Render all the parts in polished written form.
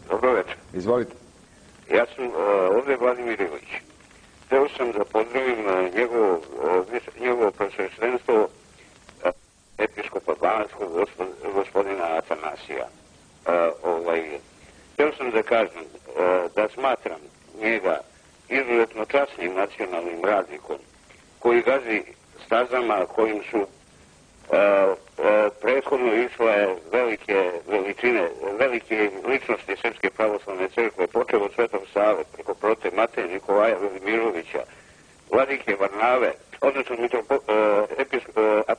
Dobro večer. Izvolite. Ja sam ovdje Vladimir Ilić. Hteo sam da pozdravim njegovo prosveštenstvo episkopa Banatskog, gospodina Atanasija. Hteo sam da kažem da smatram njega izuzetno časnim nacionalnim radnikom koji gazi stazama kojim su prethodno išle velike ličnosti Srpske pravoslavne crkve, počeo od Svetog Save, preko prote Mateje Nikolaja Velimirovića, vladike Varnave, odnosno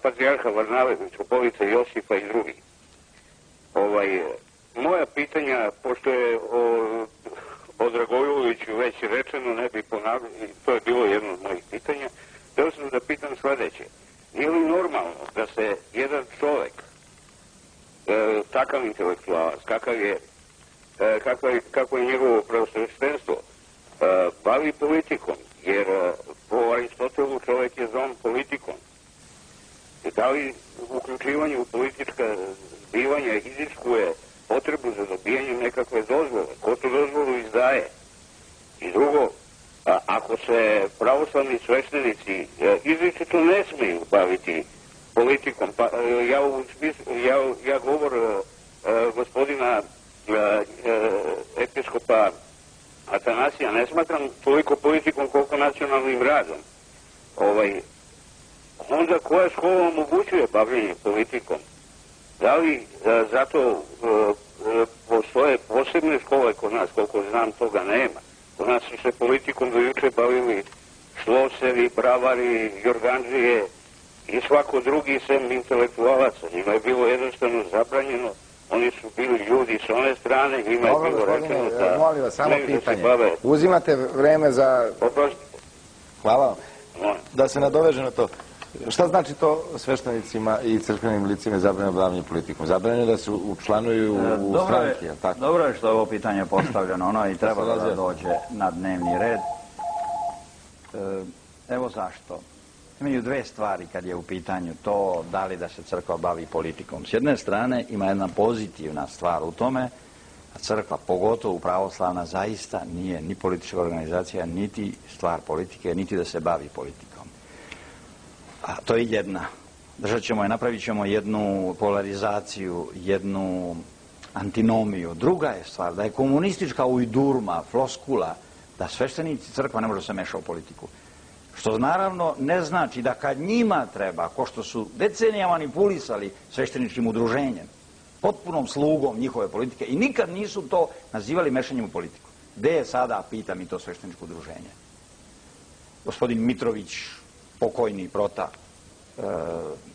patrijarha Varnave, mitropolita Josipa i drugih. Moja pitanja, pošto je o Dragojuloviću već rečeno, ne bi ponavljali, to je bilo jedno od mojih pitanja, htio sam da pitam sledeće. Nije li normalno da se jedan čovek, takav intelektualac, kako je njegovo pravoslavljenstvo, bavi politikom, jer po Aristotelu čovek je zon politikom. Da li uključivanje u politička zbivanja iziskuje potrebu za dobijanje nekakve dozvole? Ko tu dozvolu izdaje? I drugo, ako se pravoslavni sveštenici izričito ne smiju baviti politikom, pa ja govor gospodina episkopa Atanasija ne smatram toliko politikom koliko nacionalnim radom. Onda koja škola omogućuje bavljenje politikom? Da li zato postoje posebne škole kod nas? Koliko znam, toga nema. Kod nas su se politikom do juče bavili šlosevi, bravari, jorganđije i svako drugi sem intelektualaca. Njima je bilo jednostavno zabranjeno. Oni su bili ljudi s one strane, njima je bilo rečeno da... Molim vas, samo pitanje. Uzimate vreme za... Hvala vam. Da se nadoveže na to. Šta znači to sveštenicima i crkvenim licima zabranjeno bavljenje politikom? Zabranjeno da se učlanuju u stranke, tako? Dobro je što je ovo pitanje postavljeno, ono i treba da dođe na dnevni red. Evo zašto. Imaju dve stvari kad je u pitanju to da li da se crkva bavi politikom. S jedne strane ima jedna pozitivna stvar u tome, a crkva, pogotovo pravoslavna, zaista nije ni politička organizacija, niti stvar politike, niti da se bavi politikom. A to je jedna. Držat ćemo je, napravit ćemo jednu polarizaciju, jednu antinomiju. Druga je stvar da je komunistička ujdurma, floskula, da sveštenici crkva ne može se meša u politiku. Što naravno ne znači da kad njima treba, ko što su decenijama manipulisali svešteničkim udruženjem, potpunom slugom njihove politike i nikad nisu to nazivali mešanjem u politiku. Gde je sada, pita mi to svešteničko udruženje? Gospodin Mitrović, pokojni Prota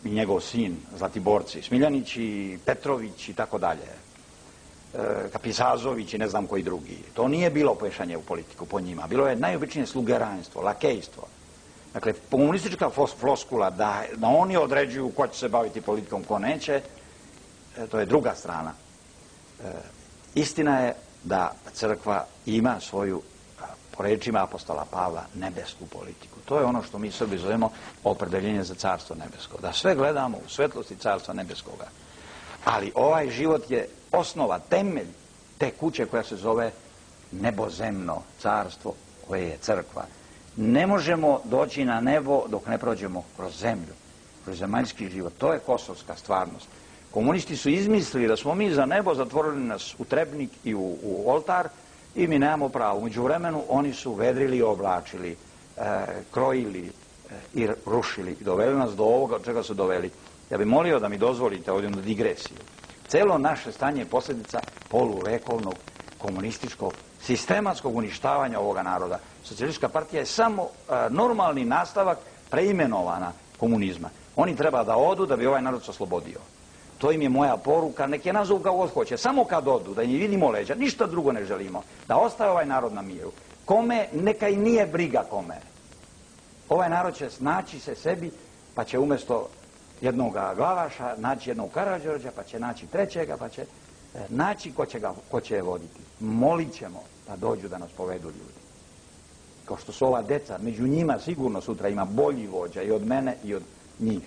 i njegov sin, Zlatiborci, Smiljanić i Petrović i tako dalje, Kapisazović i ne znam koji drugi. To nije bilo pešanje u politiku po njima. Bilo je najobičnije slugeranjstvo, lakejstvo. Dakle, komunistička floskula da oni određuju ko će se baviti politikom, ko neće, to je druga strana. Istina je da crkva ima svoju, po rečima apostola Pavla, nebesku politiku. To je ono što mi Srbi zovemo opredeljenje za carstvo nebesko. Da sve gledamo u svetlosti carstva nebeskoga. Ali ovaj život je osnova, temelj te kuće koja se zove nebozemno carstvo, koje je crkva. Ne možemo doći na nebo dok ne prođemo kroz zemlju, kroz zemaljski život. To je kosovska stvarnost. Komunisti su izmislili da smo mi za nebo zatvorili nas u trebnik i u oltar i mi nemamo pravo. Umeđu vremenu oni su vedrili i oblačili, krojili i rušili i doveli nas do ovoga od čega su doveli. Ja bih molio da mi dozvolite ovdje na digresiju. Celo naše stanje je posljedica poluvekovnog komunističkog sistematskog uništavanja ovoga naroda. Socijalistička partija je samo normalni nastavak preimenovana komunizma. Oni treba da odu da bi ovaj narod se oslobodio. To im je moja poruka, nek je nazovu kao god hoće. Samo kad odu, da im vidimo leđa, ništa drugo ne želimo. Da ostaje ovaj narod na miru. Kome, neka i nije briga kome. Ovaj narod će naći se sebi, pa će umjesto jednog Glavaša naći jednog Karađorđa, pa će naći trećega, pa će naći ko će je voditi. Molit ćemo da dođu da nas povedu ljudi. Kao što su ova deca, među njima sigurno sutra ima bolji vođa i od mene i od njih.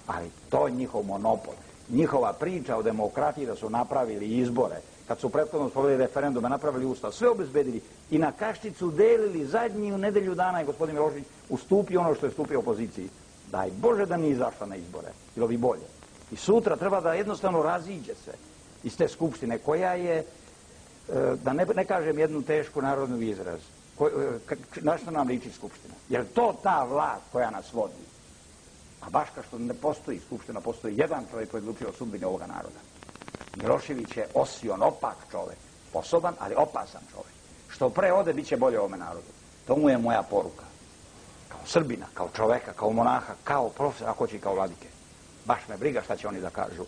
Ali to je njihov monopol. Njihova priča o demokratiji da su napravili izbore kad su prethodno sproveli referendume, napravili ustav, sve obezbedili i na Kašticu delili zadnju nedelju dana i gospodin Milošević ustupio ono što je stupio opoziciji. Daj Bože da nije izašla na izbore, bilo bi bolje. I sutra treba da jednostavno raziđe se iz te skupštine koja je, da ne kažem jednu tešku narodnu izraz, na što nam liči skupština? Jer to ta vlast koja nas vodi? A baš kao što ne postoji skupština, postoji jedan čovjek koji je odlučio o sudbini ovoga naroda. Milošević je osion, opak čovjek, sposoban, ali opasan čovjek. Što pre ode, bit će bolje ovome narodu. To mu je moja poruka. Kao Srbina, kao čoveka, kao monaha, kao profesora, ako će i kao vladike. Baš me briga šta će oni da kažu.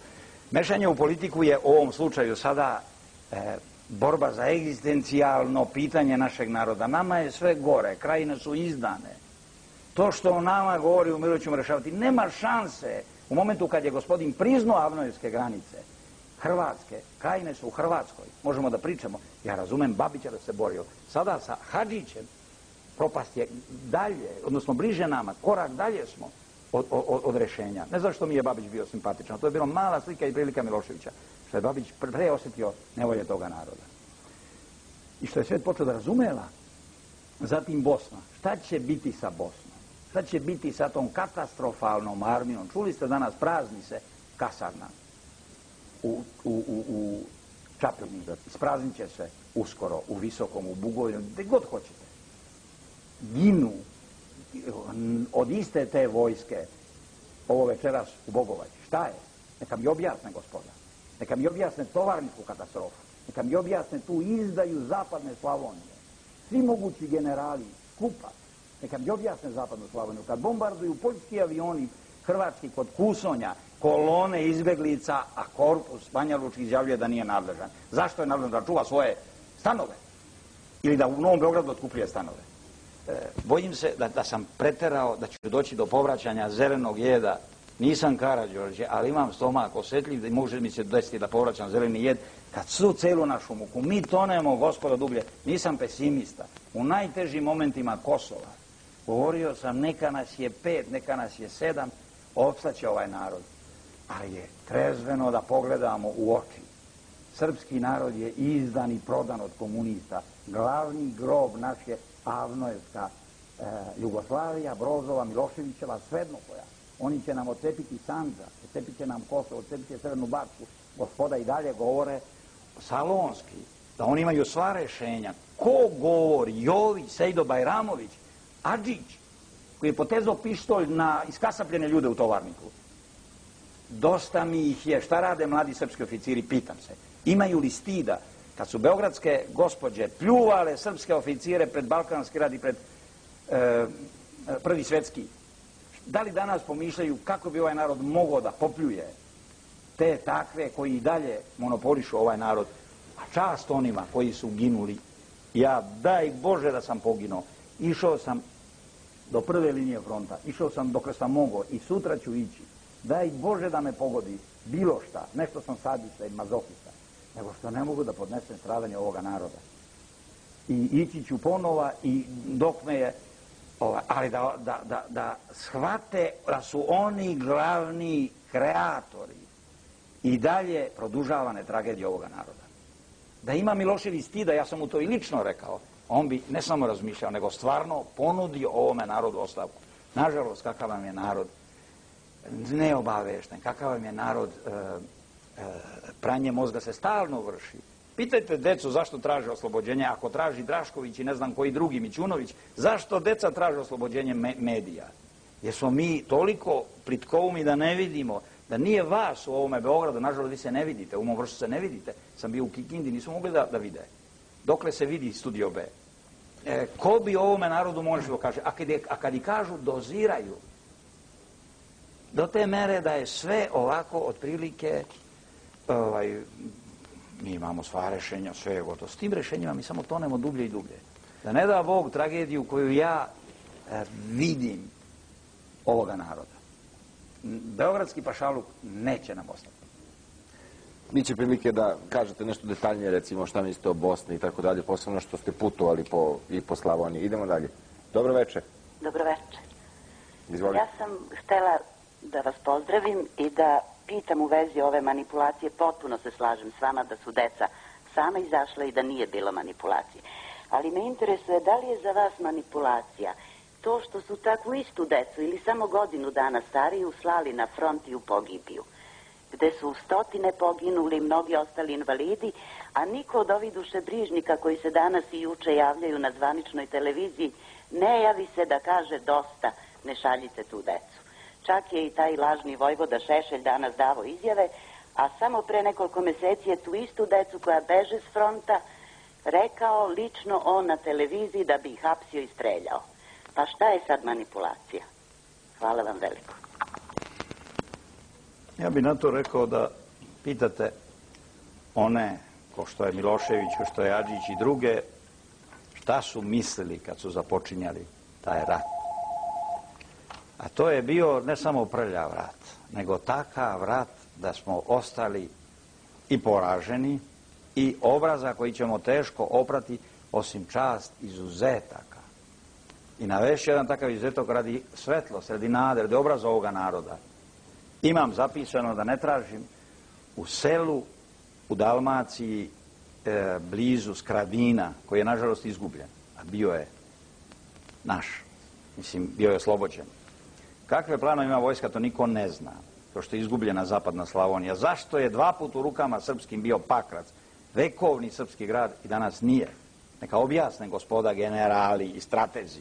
Mešanje u politiku je u ovom slučaju sada borba za egzistencijalno pitanje našeg naroda. Nama je sve gore, krajine su izdane. To što o nama govori u miru ćemo rešavati, nema šanse. U momentu kad je gospodin priznao Avnojevske granice, Hrvatske, krajine su u Hrvatskoj, možemo da pričamo. Ja razumem Babića da se borio. Sada sa Hadžićem propast je dalje, odnosno bliže nama, korak dalje smo od rešenja. Ne znam što mi je Babić bio simpatičan, to je bilo mala slika i prilika Miloševića, što je Babić pre osjetio nevolje toga naroda. I što je svet počeo da razumela. Zatim Bosna. Šta će biti sa Bosnom? Šta će biti sa tom katastrofalnom armijom? Čuli ste danas, prazni se kasarna u Čapljini. Ispraznit će se uskoro u Visokom, u Bugojnu, gde god hoćete. Ginu od iste te vojske ovo večeras u Bogovači. Šta je? Neka mi objasne, gospoda. Neka mi objasne tovarničku katastrofu. Neka mi objasne tu izdaju zapadne Slavonije. Svi mogući generali skupa. Neka mi objasne zapadnu Slavoniju. Kad bombarduju poljski avioni hrvatski kod Kusonja, kolone izbeglica, a korpus Banjalučki izjavljuje da nije nadležan. Zašto je nadležan? Da čuva svoje stanove? Ili da u Novom Beogradu otkupljuje stanove? Bojim se da sam preterao, da ću doći do povraćanja zelenog jeda. Nisam Karađorđe, ali imam stomak osjetljiv da može mi se desiti da povraćam zeleni jed. Kad su celu našu muku, mi tonemo, gospodo, dublje. Nisam pesimista. U najtežim momentima Kosova govorio sam, neka nas je 5, neka nas je 7, opstaće ovaj narod. Ali je trezveno da pogledamo u oči. Srpski narod je izdan i prodan od komunista. Glavni grob naš je Avnojevska Jugoslavija, Brozova, Miloševićeva, svedno koja. Oni će nam odcepiti Sandžak, odcepit će nam Kosovo, odcepit će Crnu Bačku. Gospoda i dalje govore salonski, da oni imaju sva rešenja. Ko govori? Jović, Sejdo Bajramović, Adžić, koji je potezao pištolj na iskasapljene ljude u Tovarniku. Dosta mi ih je. Šta rade mladi srpski oficiri? Pitam se. Imaju li stida kad su beogradske gospođe pljuvale srpske oficire pred Balkanski rat i pred Prvi svetski? Da li danas pomišljaju kako bi ovaj narod mogao da popljuje te takve koji i dalje monopolišu ovaj narod, a čast onima koji su ginuli? Ja, daj Bože da sam poginuo. Išao sam do prve linije fronta, išao sam dok sam mogao i sutra ću ići. Daj Bože da me pogodi bilo šta, nešto sam sadista i mazohista, nego što ne mogu da podnesem stradanje ovoga naroda. I ići ću ponova i dok me je, ali da shvate da su oni glavni kreatori i dalje produžavane tragedije ovoga naroda. Da ima Milošević stida, ja sam mu to i lično rekao, on bi ne samo razmišljao, nego stvarno ponudio ovome narodu ostavku. Nažalost, kakav vam je narod neobavešten, kakav vam je narod, pranje mozga se stalno vrši. Pitajte decu zašto traže oslobođenje, ako traži Drašković i ne znam koji drugi, Mićunović, zašto deca traže oslobođenje medija? Jer smo mi toliko plitkoumi da ne vidimo, da nije vas u ovome Beogradu, nažalost vi se ne vidite, u mom Vršcu se ne vidite, sam bio u Kikindi, nisu mogli da vide. Dokle se vidi Studio B? Ko bi ovome narodu možemo kaže, a kad i kažu doziraju, do te mere da je sve ovako otprilike, mi imamo sva rešenja, sve je gotovo. S tim rešenjima mi samo tonemo dublje i dublje. Da ne da Bog tragediju koju ja vidim ovoga naroda. Beogradski pašaluk neće nam ostati. Biće prilike da kažete nešto detaljnije, recimo šta mislite o Bosni i tako dalje, posebno što ste putovali i po Slavoniji. Idemo dalje. Dobro večer. Dobro večer. Izvolite. Ja sam htela da vas pozdravim i da pitam u vezi ove manipulacije. Potpuno se slažem s vama da su deca sama izašla i da nije bilo manipulacije. Ali me interesuje da li je za vas manipulacija to što su takvu istu decu ili samo godinu dana stariju slali na front i u pogibiju, gde su stotine poginuli, mnogi ostali invalidi, a niko od ovih dušebrižnika koji se danas i juče javljaju na zvaničnoj televiziji ne javi se da kaže dosta, ne šaljite tu decu. Čak je i taj lažni vojvoda Šešelj danas davo izjave, a samo pre nekoliko meseci je tu istu decu koja beže s fronta rekao lično on na televiziji da bi ih hapsio i streljao. Pa šta je sad manipulacija? Hvala vam veliko. Ja bih na to rekao da pitate one, ko što je Milošević, ko što je Adžić i druge, šta su mislili kad su započinjali taj rat. A to je bio ne samo prljav rat, nego takav rat da smo ostali i poraženi i obraza koji ćemo teško oprati, osim čast izuzetaka. I navešću jedan takav izuzetak radi svetlosti, radi nade, radi obraza ovoga naroda. Imam zapisano da ne tražim u selu u Dalmaciji blizu Skradina, koji je nažalost izgubljen, a bio je naš, mislim, bio je oslobođen. Kakve planove ima vojska, to niko ne zna, to što je izgubljena zapadna Slavonija. Zašto je 2 puta u rukama srpskim bio Pakrac, vekovni srpski grad, i danas nije? Neka objasne gospoda generali i stratezi.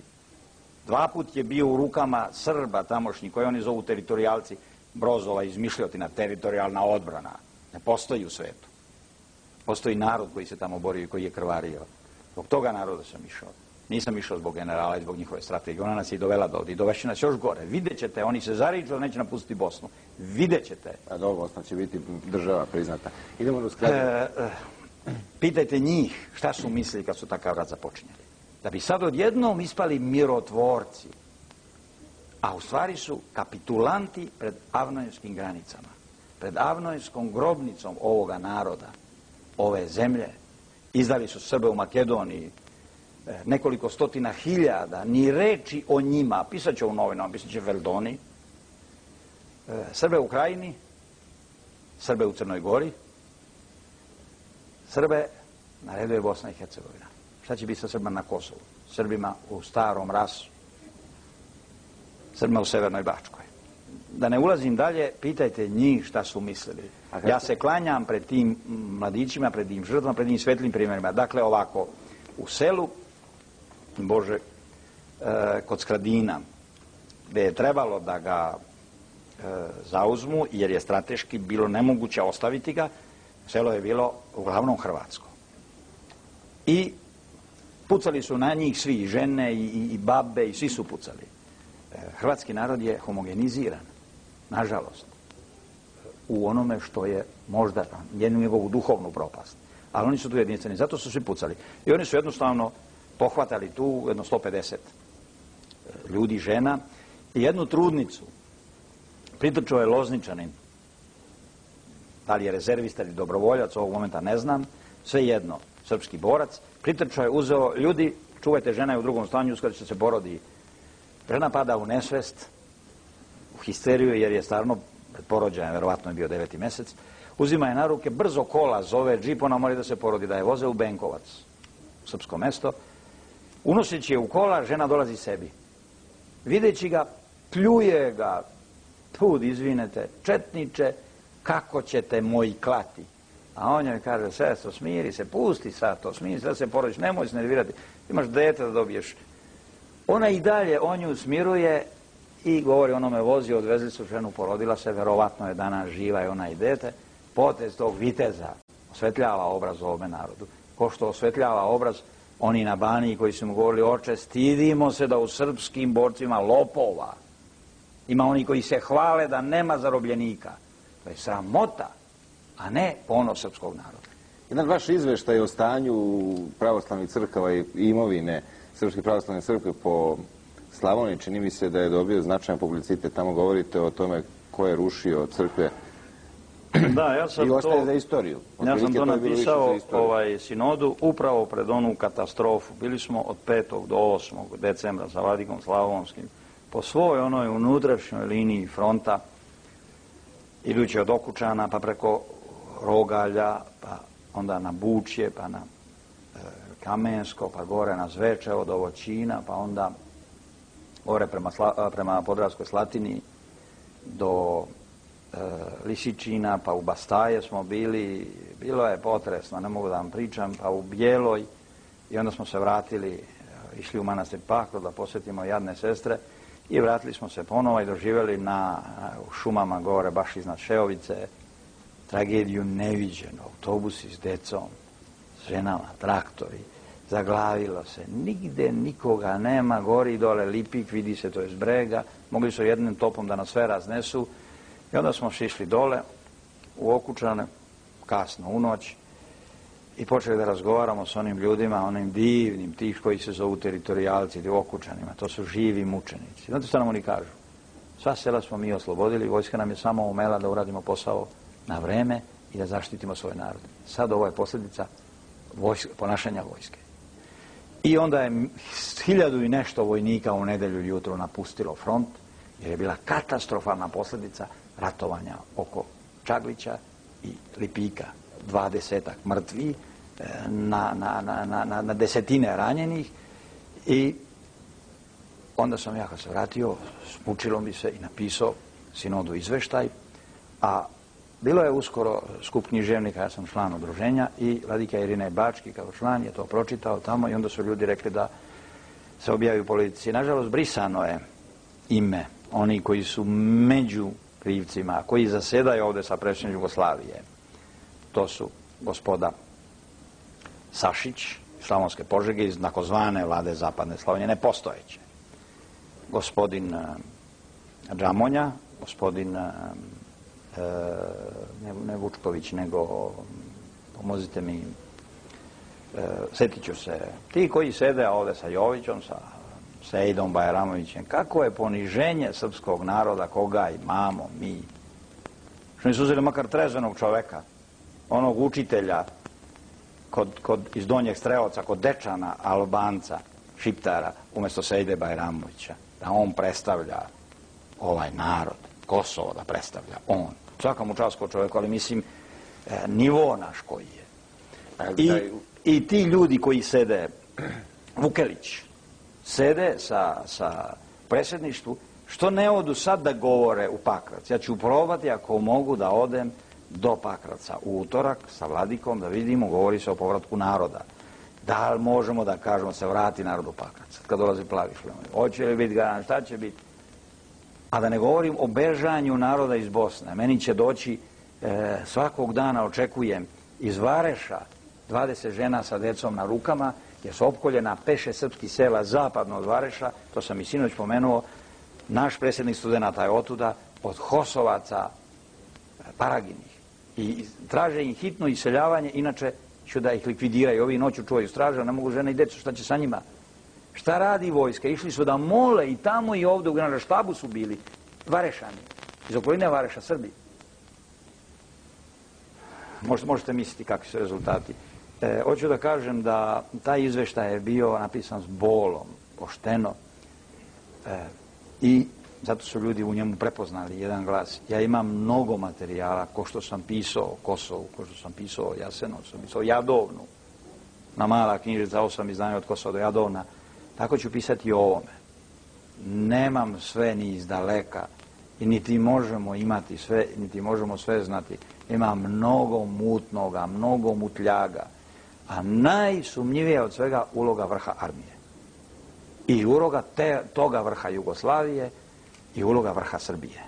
2 put je bio u rukama Srba tamošnji, koji oni zovu teritorijalci, Brozova izmišljotina, teritorijalna odbrana. Ne postoji u svetu. Postoji narod koji se tamo borio i koji je krvario. Zbog toga naroda sam išao. Nisam išao zbog generala i zbog njihove strategije. Ona nas je dovela do ovdje i dovešće nas još gore. Vidjet ćete, oni se zariču da neće napustiti Bosnu. Vidjet ćete. A dobro, Bosna će biti država priznata. Idemo do Skradina. Pitajte njih šta su mislili kad su takav rat započinjali. Da bi sad odjednom ispali mirotvorci. A u stvari su kapitulanti pred avnojevskim granicama. Pred avnojevskom grobnicom ovoga naroda, ove zemlje. Izdali su Srbe u Makedoniji, nekoliko stotina hiljada, ni reči o njima, pisat će u novinama, pisat će Veldoni, Srbe u Krajini, Srbe u Crnoj Gori, Srbe na redu je Bosna i Hercegovina. Šta će biti sa Srbima na Kosovu? Srbima u Starom Rasu, Srbima u Severnoj Bačkoj. Da ne ulazim dalje, pitajte njih šta su mislili. Ja se klanjam pred tim mladićima, pred tim žrtvama, pred tim svetlim primjerima. Dakle, ovako, u selu, Bože, kod Skradina, gde je trebalo da ga zauzmu, jer je strateški bilo nemoguće ostaviti ga, selo je bilo uglavnom hrvatsko. I pucali su na njih svi, i žene, i babe, i svi su pucali. Hrvatski narod je homogeniziran, nažalost, u onome što je možda jednu njegovu duhovnu propast. Ali oni su tu jedinstveni, zato su svi pucali. I oni su jednostavno pohvatali tu jedno 150 ljudi, žena, i jednu trudnicu. Pritrčao je Lozničanin. Da li je rezervista ili dobrovoljac, ovog momenta ne znam, sve jedno, srpski borac. Pritrčao je, uzeo, ljudi, čuvajte, žena je u drugom stanju, kada će se porodi. Žena pada u nesvest, u histeriju, jer je stvarno pred porođajem, verovatno je bio 9. mesec, uzima je na ruke, brzo kola zove, džip, ona mora da se porodi, da je voze u Benkovac, u srpsko mesto. Unoseći je u kola, žena dolazi sebi. Videći ga, pljuje ga, pud, izvinete, četniče, kako ćete moji klati? A on joj kaže, sestro, smiri se, pusti sad to, smiri se, da se porodiš, nemoj se nervirati, imaš dete da dobiješ. Ona i dalje on nju smiruje i govori, onome vozi, odvezli su ženu, porodila se, verovatno je danas živa i ona i dete. Potez tog viteza osvetljava obraz ovome narodu. Ko što osvetljava obraz oni na Baniji koji su mu govorili, oče, stidimo se da u srpskim borcima lopova. Ima oni koji se hvale da nema zarobljenika. To je sramota, a ne ponos srpskog naroda. Jedan vaš izveštaj o stanju pravoslavnih crkava i imovine Srpske pravoslavne crkve po Slavoniji, čini mi se da je dobio značajan publicitet. Tamo govorite o tome ko je rušio crkve. Da, ja sam i ostaje za istoriju. Ja sam to napisao sinodu upravo pred onu katastrofu. Bili smo od 5. do 8. decembra sa Vladikom Slavonskim po svoj onoj unutrašnjoj liniji fronta, idući od Okučana pa preko Rogalja, pa onda na Bučje, pa na Kamensko, pa gore na Zvečevo do Voćina, pa onda gore prema Podravskoj Slatini do Lisičina, pa u Bastaje smo bili, bilo je potresno, ne mogu da vam pričam, pa u Bijeloj i onda smo se vratili, išli u manastir Pakro da posjetimo jadne sestre i vratili smo se ponovo i doživjeli u šumama gore, baš iznad Šeovice, tragediju neviđenu, autobusi s decom, s ženama, traktori, zaglavilo se, nigde nikoga nema, gori i dole Lipik, vidi se to iz brega, mogli su jednim topom da nas sve raznesu i onda smo šišli dole u Okučane, kasno u noć i počeli da razgovaramo s onim ljudima, onim divnim, tih koji se zovu teritorijalci ili Okučanima, to su živi mučenici. Znate što nam oni kažu? Sva sela smo mi oslobodili, vojska nam je samo umela da uradimo posao na vreme i da zaštitimo svoj narod. Sad ovo je posljedica ponašanja vojske. I onda je 1000 i nešto vojnika u nedelju jutro napustilo front, jer je bila katastrofalna posljedica ratovanja oko Čaglića i Lipika. 20-ak mrtvi, na desetine ranjenih i onda sam ja kad se vratio, smučilo mi se i napisao sinodu izveštaj, a bilo je uskoro skup književnika, ja sam član udruženja i vladika Irinej Bački kao član je to pročitao tamo i onda su ljudi rekli da se objavi u Politici. Nažalost, brisano je ime oni koji su među krivcima, koji zasedaju ovdje sa predsjednikom Jugoslavije. To su gospoda Sašić, Slavonske Požege iz takozvane vlade Zapadne Slavonije, nepostojeće. Gospodin Džamonja, gospodin ne Vučković, nego pomozite mi, setit ću se, ti koji sede ovdje sa Jovićom, sa Sejdom Bajramovićem, kako je poniženje srpskog naroda, koga imamo mi. Što nisu uzeli makar trezvenog čoveka, onog učitelja iz Donjeg Strelovca, kod Dečana, Albanca, Šiptara, umjesto Sejde Bajramovića, da on predstavlja ovaj narod, Kosovo da predstavlja on. Svaka mu čast kao čovjeku, ali mislim, nivo naš koji je. I ti ljudi koji sede, Vukelić, sede sa predsjedništvu, što ne odu sad da govore u Pakrac? Ja ću probati, ako mogu, da odem do Pakraca u utorak sa vladikom, da vidimo, govori se o povratku naroda. Da li možemo da kažemo se vrati narod u Pakrac, kad dolazi plavi šlemovi? Hoće li biti garant, šta će biti? A da ne govorim o bežanju naroda iz Bosne. Meni će doći, svakog dana očekujem, iz Vareša 20 žena sa decom na rukama, jer su opkoljena 5-6 srpskih sela zapadno od Vareša, to sam i sinoć pomenuo, naš predsjednik studenata je otuda, od Hosovaca, Paraginih. I traže im hitno iseljavanje, inače ću da ih likvidiraju. Ovi noću čuvaju straža, ne mogu žene i decu, šta će sa njima? Šta radi vojska? Išli su da mole i tamo i ovdje u Generalštabu su bili Varešani, iz okoline Vareša, Srbi. Možete misliti kakvi su rezultati. Hoću da kažem da taj izveštaj je bio napisan s bolom, pošteno, i zato su ljudi u njemu prepoznali jedan glas. Ja imam mnogo materijala, ko što sam pisao o Kosovu, ko što sam pisao o Jasenovcu, sam pisao o Jadovnu, na mala knjižica, 8 izdanja od Kosova do Jadovna. Tako ću pisati i o ovome. Nemam sve ni iz daleka i niti možemo imati sve, niti možemo sve znati. Ima mnogo mutnoga, mnogo mutljaga, a najsumnjivija od svega uloga vrha armije. I uloga toga vrha Jugoslavije i uloga vrha Srbije.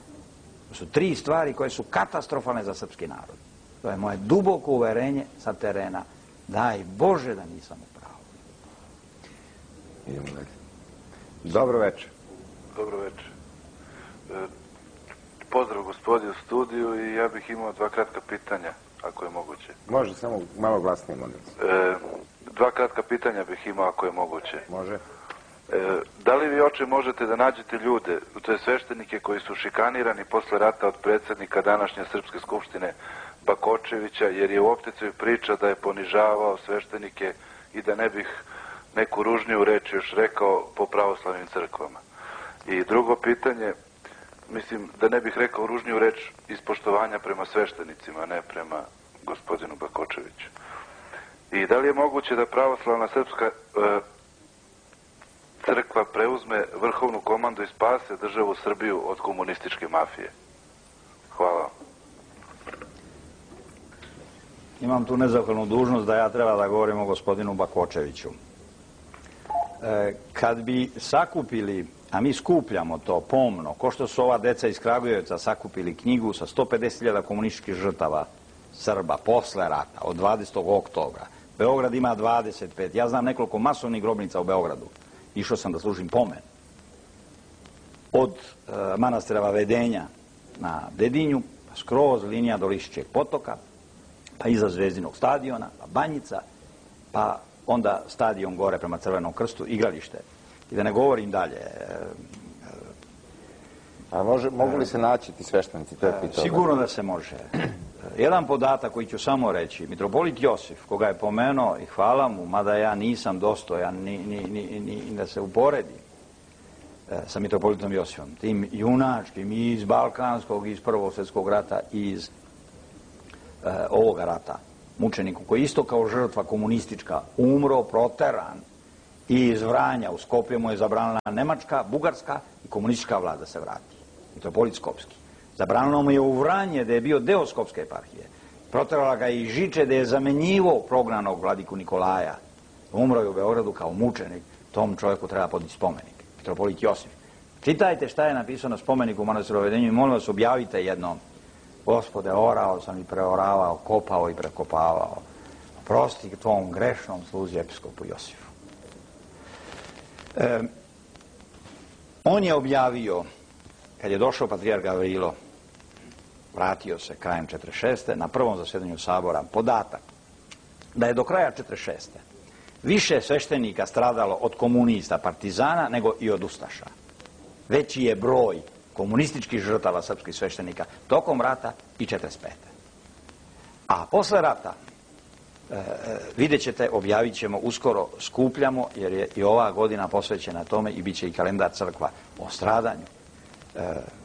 To su 3 stvari koje su katastrofalne za srpski narod. To je moje duboko uverenje sa terena. Daj Bože da nisam u pravu. Idemo dalje. Dobro večer. Dobro večer. Pozdrav gospodi u studiju i ja bih imao 2 kratka pitanja, ako je moguće. Može, samo malo glasnije, molim. 2 kratka pitanja bih imao, ako je moguće. Može. Da li vi, oče, možete da nađete ljude, to je sveštenike koji su šikanirani posle rata od predsjednika današnje Srpske skupštine Bakočevića, jer je u opticaju priča da je ponižavao sveštenike i da ne bih neku ružniju reč još rekao po pravoslavnim crkvama. I drugo pitanje, mislim da ne bih rekao ružniju reč iz poštovanja prema sveštenicima, ne prema gospodinu Bakočeviću. I da li je moguće da pravoslavna srpska crkva preuzme vrhovnu komandu i spase državu Srbiju od komunističke mafije? Hvala. Imam tu nezahvalnu dužnost da ja treba da govorim o gospodinu Bakočeviću. Kad bi sakupili, a mi skupljamo to pomno, ko što su ova deca iz Kragujevca sakupili knjigu sa 150.000 komunističkih žrtava Srba posle rata, od 20. oktobra. Beograd ima 25. Ja znam nekoliko masovnih grobnica u Beogradu. Išao sam da služim pomen. Od manastira Vavedenja na Dedinju, pa skroz linija do Lišćeg potoka, pa iza Zvezdinog stadiona, pa Banjica, pa onda stadion gore prema Crvenom krstu, igralište. I da ne govorim dalje. A mogu li se naći ti sveštenici? Sigurno da se može. Jedan podatak koji ću samo reći. Mitropolit Josif, koga je pomenuo, i hvala mu, mada ja nisam dostojan ni da se uporedi sa mitropolitom Josifom, tim junačkim iz Balkanskog, iz Prvog svjetskog rata, iz ovoga rata, mučeniku koji isto kao žrtva komunistička umro, proteran i iz Vranja u Skopje mu je zabranila Nemačka, Bugarska i komunistička vlada se vrati. Mitropolit Skopski. Zabranilo mu je u Vranje da je bio deo Skopske eparhije. Proterala ga i Žiče da je zamenjivo prognanog vladiku Nikolaja. Umro je u Beogradu kao mučenik. Tom čovjeku treba podići spomenik. Mitropolit Josif. Čitajte šta je napisano na spomeniku u manastiru Vavedenju i molim vas objavite jednom. Gospode, orao sam i preoravao, kopao i prekopavao. Prosti tvom grešnom sluzi episkopu Josifu. On je objavio, kad je došao patrijarh Gavrilo, vratio se krajem 46. na prvom zasjedanju sabora, podatak da je do kraja 46. više sveštenika stradalo od komunista, partizana, nego i od ustaša. Veći je broj komunističkih žrtava srpskih sveštenika tokom rata i 45. A posle rata, vidjet ćete, objavit ćemo uskoro, skupljamo, jer je i ova godina posvećena tome i bit će i kalendar crkva o stradanju.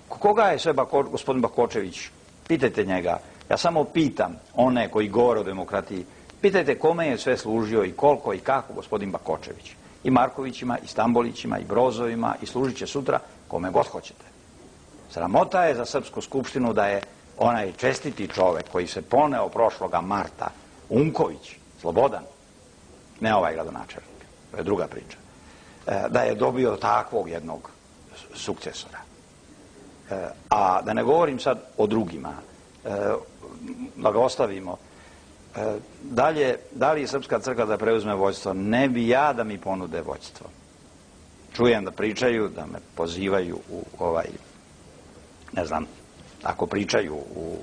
Koga je sve gospodin Bakočević? Pitajte njega. Ja samo pitam one koji govore o demokratiji, pitajte kome je sve služio i koliko i kako gospodin Bakočević. I Markovićima, i Stambolićima, i Brozovima, i služit će sutra kome god hoćete. Sramota je za Srpsku skupštinu da je onaj čestiti čovek koji se poneo prošloga marta, Unković, Slobodan, ne ovaj gradonačelnik, to je druga priča, da je dobio takvog jednog sukcesora. A da ne govorim sad o drugima, da ga ostavimo. Dalje, da li je Srpska crkva da preuzme vođstvo? Ne bi ja da mi ponude vođstvo. Čujem da pričaju, da me pozivaju u ne znam, ako pričaju u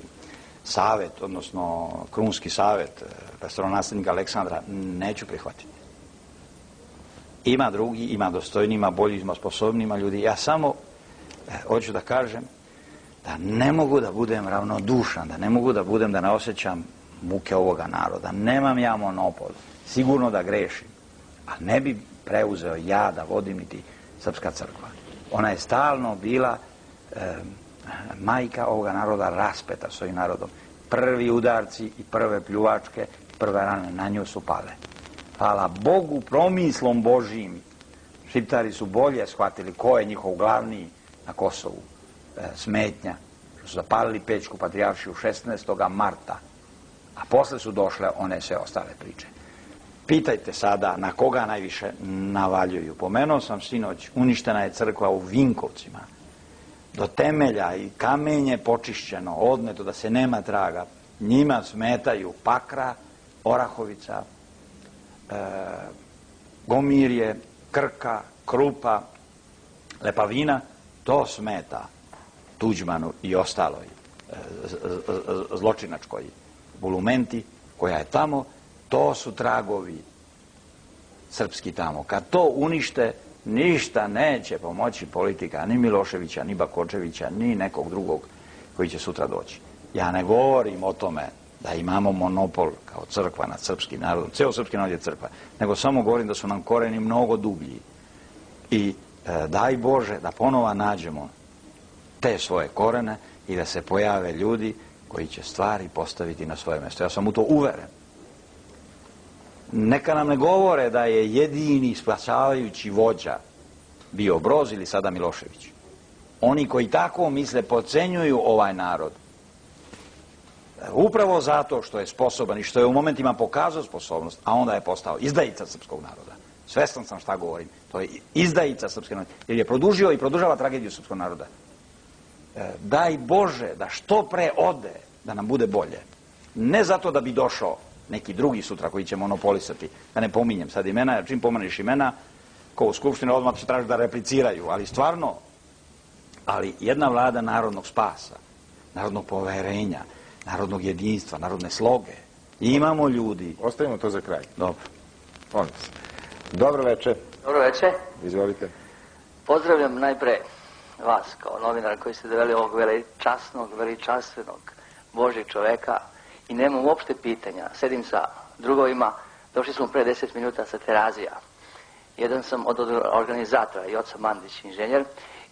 savet, odnosno krunski savet prestolonaslednika Aleksandra, neću prihvatiti. Ima drugi, ima dostojni, ima bolji, ima sposobni, ima ljudi. Ja samo hoću da kažem da ne mogu da budem ravnodušan, da ne mogu da budem, da ne osjećam muke ovoga naroda. Nemam ja monopol. Sigurno da grešim. A ne bi preuzeo ja da vodim niti Srpska crkva. Ona je stalno bila majka ovoga naroda, raspeta svojim narodom. Prvi udarci i prve pljuvačke, prve rane na nju su pale. Hvala Bogu, promislom Božijim, Šiptari su bolje shvatili ko je njihov glavni na Kosovu smetnja, što su zapalili Pećku patrijaršiju 16. marta, a posle su došle one sve ostale priče. Pitajte sada na koga najviše navaljuju. Pomenuo sam sinoć, uništena je crkva u Vinkovcima. Do temelja i kamenje počišćeno, odneto da se nema traga. Njima smetaju Pakra, Orahovica, Gomirje, Krka, Krupa, Lepavina. To smeta Tuđmanu i ostaloj zločinačkoj bulumenti koja je tamo. To su tragovi srpski tamo. Kad to unište, ništa neće pomoći politika ni Miloševića, ni Bakočevića, ni nekog drugog koji će sutra doći. Ja ne govorim o tome da imamo monopol kao crkva nad srpskim narodom, ceo srpski narod je crkva, nego samo govorim da su nam koreni mnogo dublji. I daj Bože da ponova nađemo te svoje korene i da se pojave ljudi koji će stvari postaviti na svoje mjesto. Ja sam u to uveren. Neka nam ne govore da je jedini spasavajući vođa bio Broz ili sada Milošević. Oni koji tako misle podcenjuju ovaj narod. Upravo zato što je sposoban i što je u momentima pokazao sposobnost, a onda je postao izdajica srpskog naroda. Svestan sam šta govorim. To je izdajica srpskog naroda. Jer je produžio i produžava tragediju srpskog naroda. Daj Bože da što pre ode, da nam bude bolje. Ne zato da bi došao neki drugi sutra koji će monopolisati. Da ne pominjem sad imena, jer čim pomeneš imena, ko u Skupštini odmah će traži da repliciraju. Ali stvarno, ali jedna vlada narodnog spasa, narodnog poverenja, narodnog jedinstva, narodne sloge. I imamo ljudi. Ostavimo to za kraj. Dobro. Molim se. Dobro večer. Dobro večer. Izvolite. Pozdravljam najpre vas kao novinar koji ste doveli ovog veličasnog, veličanstvenog Božjeg čoveka i nemam uopšte pitanja. Sedim sa drugovima, došli smo pre 10 minuta sa Terazija. Jedan sam od organizatora i Joca Mandić, inženjer,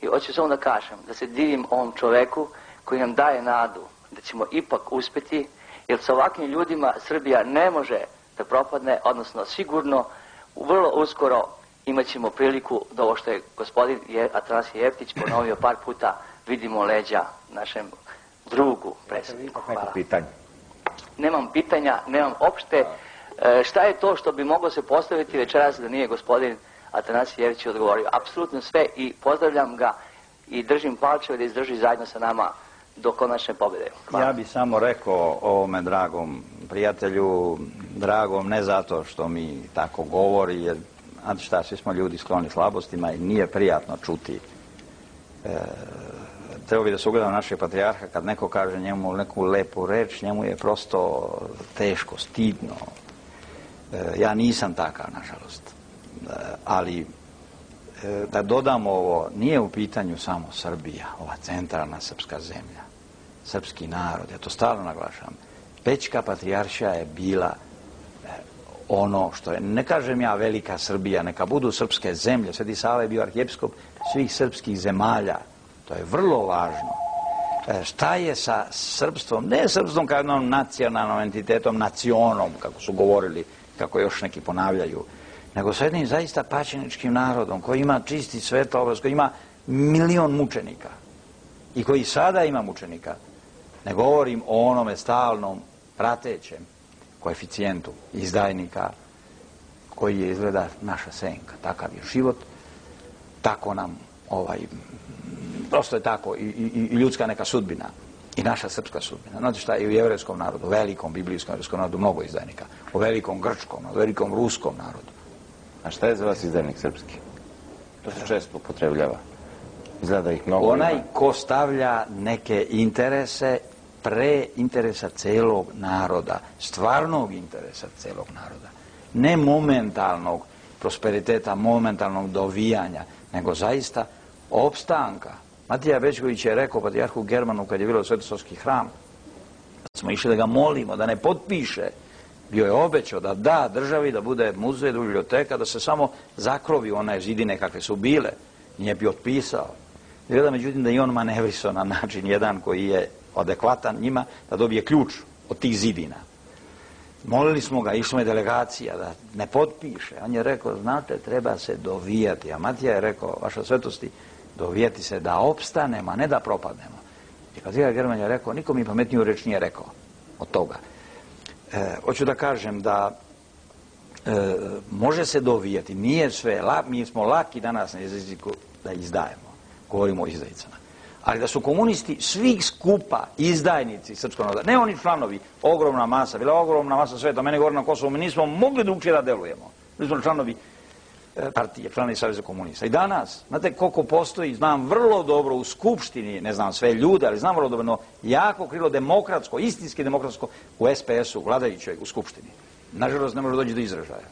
i hoću samo da kažem da se divim ovom čoveku koji nam daje nadu da ćemo ipak uspjeti, jer sa ovakvim ljudima Srbija ne može da propadne, odnosno sigurno vrlo uskoro imat ćemo priliku da ovo što je gospodin Atanasije Jeftić ponovio par puta, vidimo leđa našem drugu predsjedniku. Hvala. Nemam pitanja, nemam opšte. Šta je to što bi moglo se postaviti večeras da nije gospodin Atanasije Jeftić odgovorio? Apsolutno sve i pozdravljam ga i držim palčeve da izdrži zajedno sa nama do konačne pobjede. Hvala. Ja bih samo rekao ovome dragom prijatelju, dragom ne zato što mi tako govori, jer znate šta, svi smo ljudi skloni slabostima i nije prijatno čuti. Treba bi da se ugledam našeg patrijarha, kad neko kaže njemu neku lepu reč, njemu je prosto teško, stidno. Ja nisam takav, nažalost. Ali da dodam ovo, nije u pitanju samo Srbija, ova centralna srpska zemlja, srpski narod, ja to stalno naglašavam. Pećka patrijaršija je bila ono što je, ne kažem ja velika Srbija, neka budu srpske zemlje, Sveti Sava je bio arhijepiskop svih srpskih zemalja, to je vrlo važno. Šta je sa srpstvom, ne srpstvom kao jednom nacionalnom entitetom, nacionom, kako su govorili, kako još neki ponavljaju, nego sa jednim zaista pačeničkim narodom koji ima čisti svetlo obraz, koji ima 1.000.000 mučenika i koji sada ima mučenika. Ne govorim o onome stalnom pratećem koeficijentu izdajnika koji je izgleda naša senka. Takav je život, tako nam prosto je tako i ljudska neka sudbina i naša srpska sudbina. Znate šta, i u jevrejskom narodu, velikom biblijskom jevrejskom narodu mnogo izdajnika, u velikom grčkom, u velikom ruskom narodu. A šta je za vas izdajnik srpski? To se često upotrebljava. Izgleda ih mnogo. Onaj ko stavlja neke interese pre interesa celog naroda, stvarnog interesa celog naroda, ne momentalnog prosperiteta, momentalnog dovijanja, nego zaista opstanka. Matija Bećković je rekao patrijarhu Germanu kad je bilo Svetosavski hram, da smo išli da ga molimo, da ne potpiše, bio je obećao da da državi, da bude muzej, da biblioteka, da se samo zakrovi one zidine kakve su bile. Nije bi otpisao. Gleda međutim da i on manevrisao na način jedan koji je adekvatan njima, da dobije ključ od tih zidina. Molili smo ga, išla je delegacija da ne potpiše. On je rekao, znate, treba se dovijati. A Matija je rekao, vaša svetosti, dovijati se da opstanemo, a ne da propadnemo. I patrijarh German je rekao, niko mi pametniju reč nije rekao od toga. Hoću da kažem da može se dovijati, nije sve, mi smo laki danas na jeziku da izdajemo, govorimo o izdajicama. Ali da su komunisti svih skupa izdajnici srpskog naroda, ne oni članovi, ogromna masa, bila ogromna masa sveta, mene govori na Kosovu, mi nismo mogli drugčije da delujemo. Mi smo članovi partije, članovi Saveza komunista. I danas, znate koliko postoji, znam vrlo dobro u Skupštini, ne znam sve ljude, ali znam vrlo dobro, no jako krilo demokratsko, istinski demokratsko u SPS-u, vladajućoj u Skupštini. Nažalost, ne može doći do izražaja.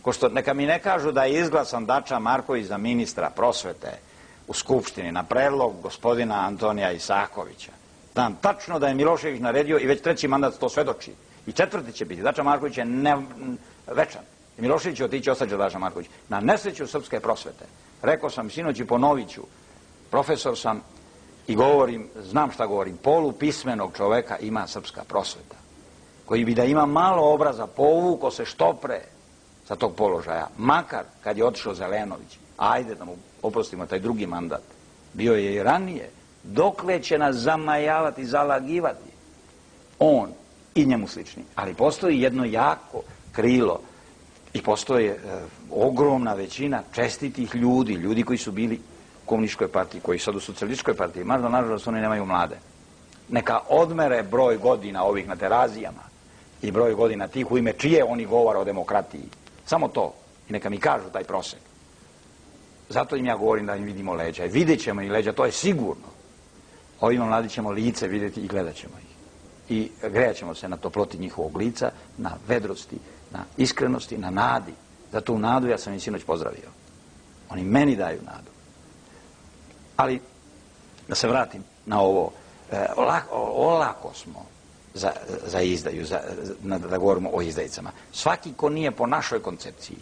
Ko što, neka mi ne kažu da je izglasan Dača Marković za ministra prosvete u Skupštini na predlog gospodina Antonija Isakovića. Znam tačno da je Milošević naredio i već 3. mandat to svedoči. I 4. će biti. Dača Marković je večan. I Milošević će otići, ostaće Dača Marković. Na nesreću srpske prosvete. Rekao sam sinoć i ponovit ću. Profesor sam i govorim, znam šta govorim, polupismenog čoveka ima srpska prosveta. Koji bi da ima malo obraza, povuko se što pre sa tog položaja, makar kad je otišao Zelenović, ajde da mu oprostimo taj drugi mandat, bio je i ranije, dokle će nas zamajavati, zalagivati on i njemu slični. Ali postoji jedno jako krilo i postoje ogromna većina čestitih ljudi, ljudi koji su bili u komunističkoj partiji, koji su sad u socijalističkoj partiji, možda nažalost oni nemaju mlade. Neka odmere broj godina ovih na terazijama i broj godina tih u ime čije oni govore o demokratiji. Samo to. I neka mi kažu taj prosek. Zato im ja govorim da im vidimo leđa. Vidjet ćemo i leđa, to je sigurno. Ovima mladi ćemo lice vidjeti i gledat ćemo ih. I grejat ćemo se na toploti njihovog lica, na vedrosti, na iskrenosti, na nadi. Zato u nadu ja sam im sinoć pozdravio. Oni meni daju nadu. Ali, da se vratim na ovo, olako smo za izdaju, da govorimo o izdajicama. Svaki ko nije po našoj koncepciji.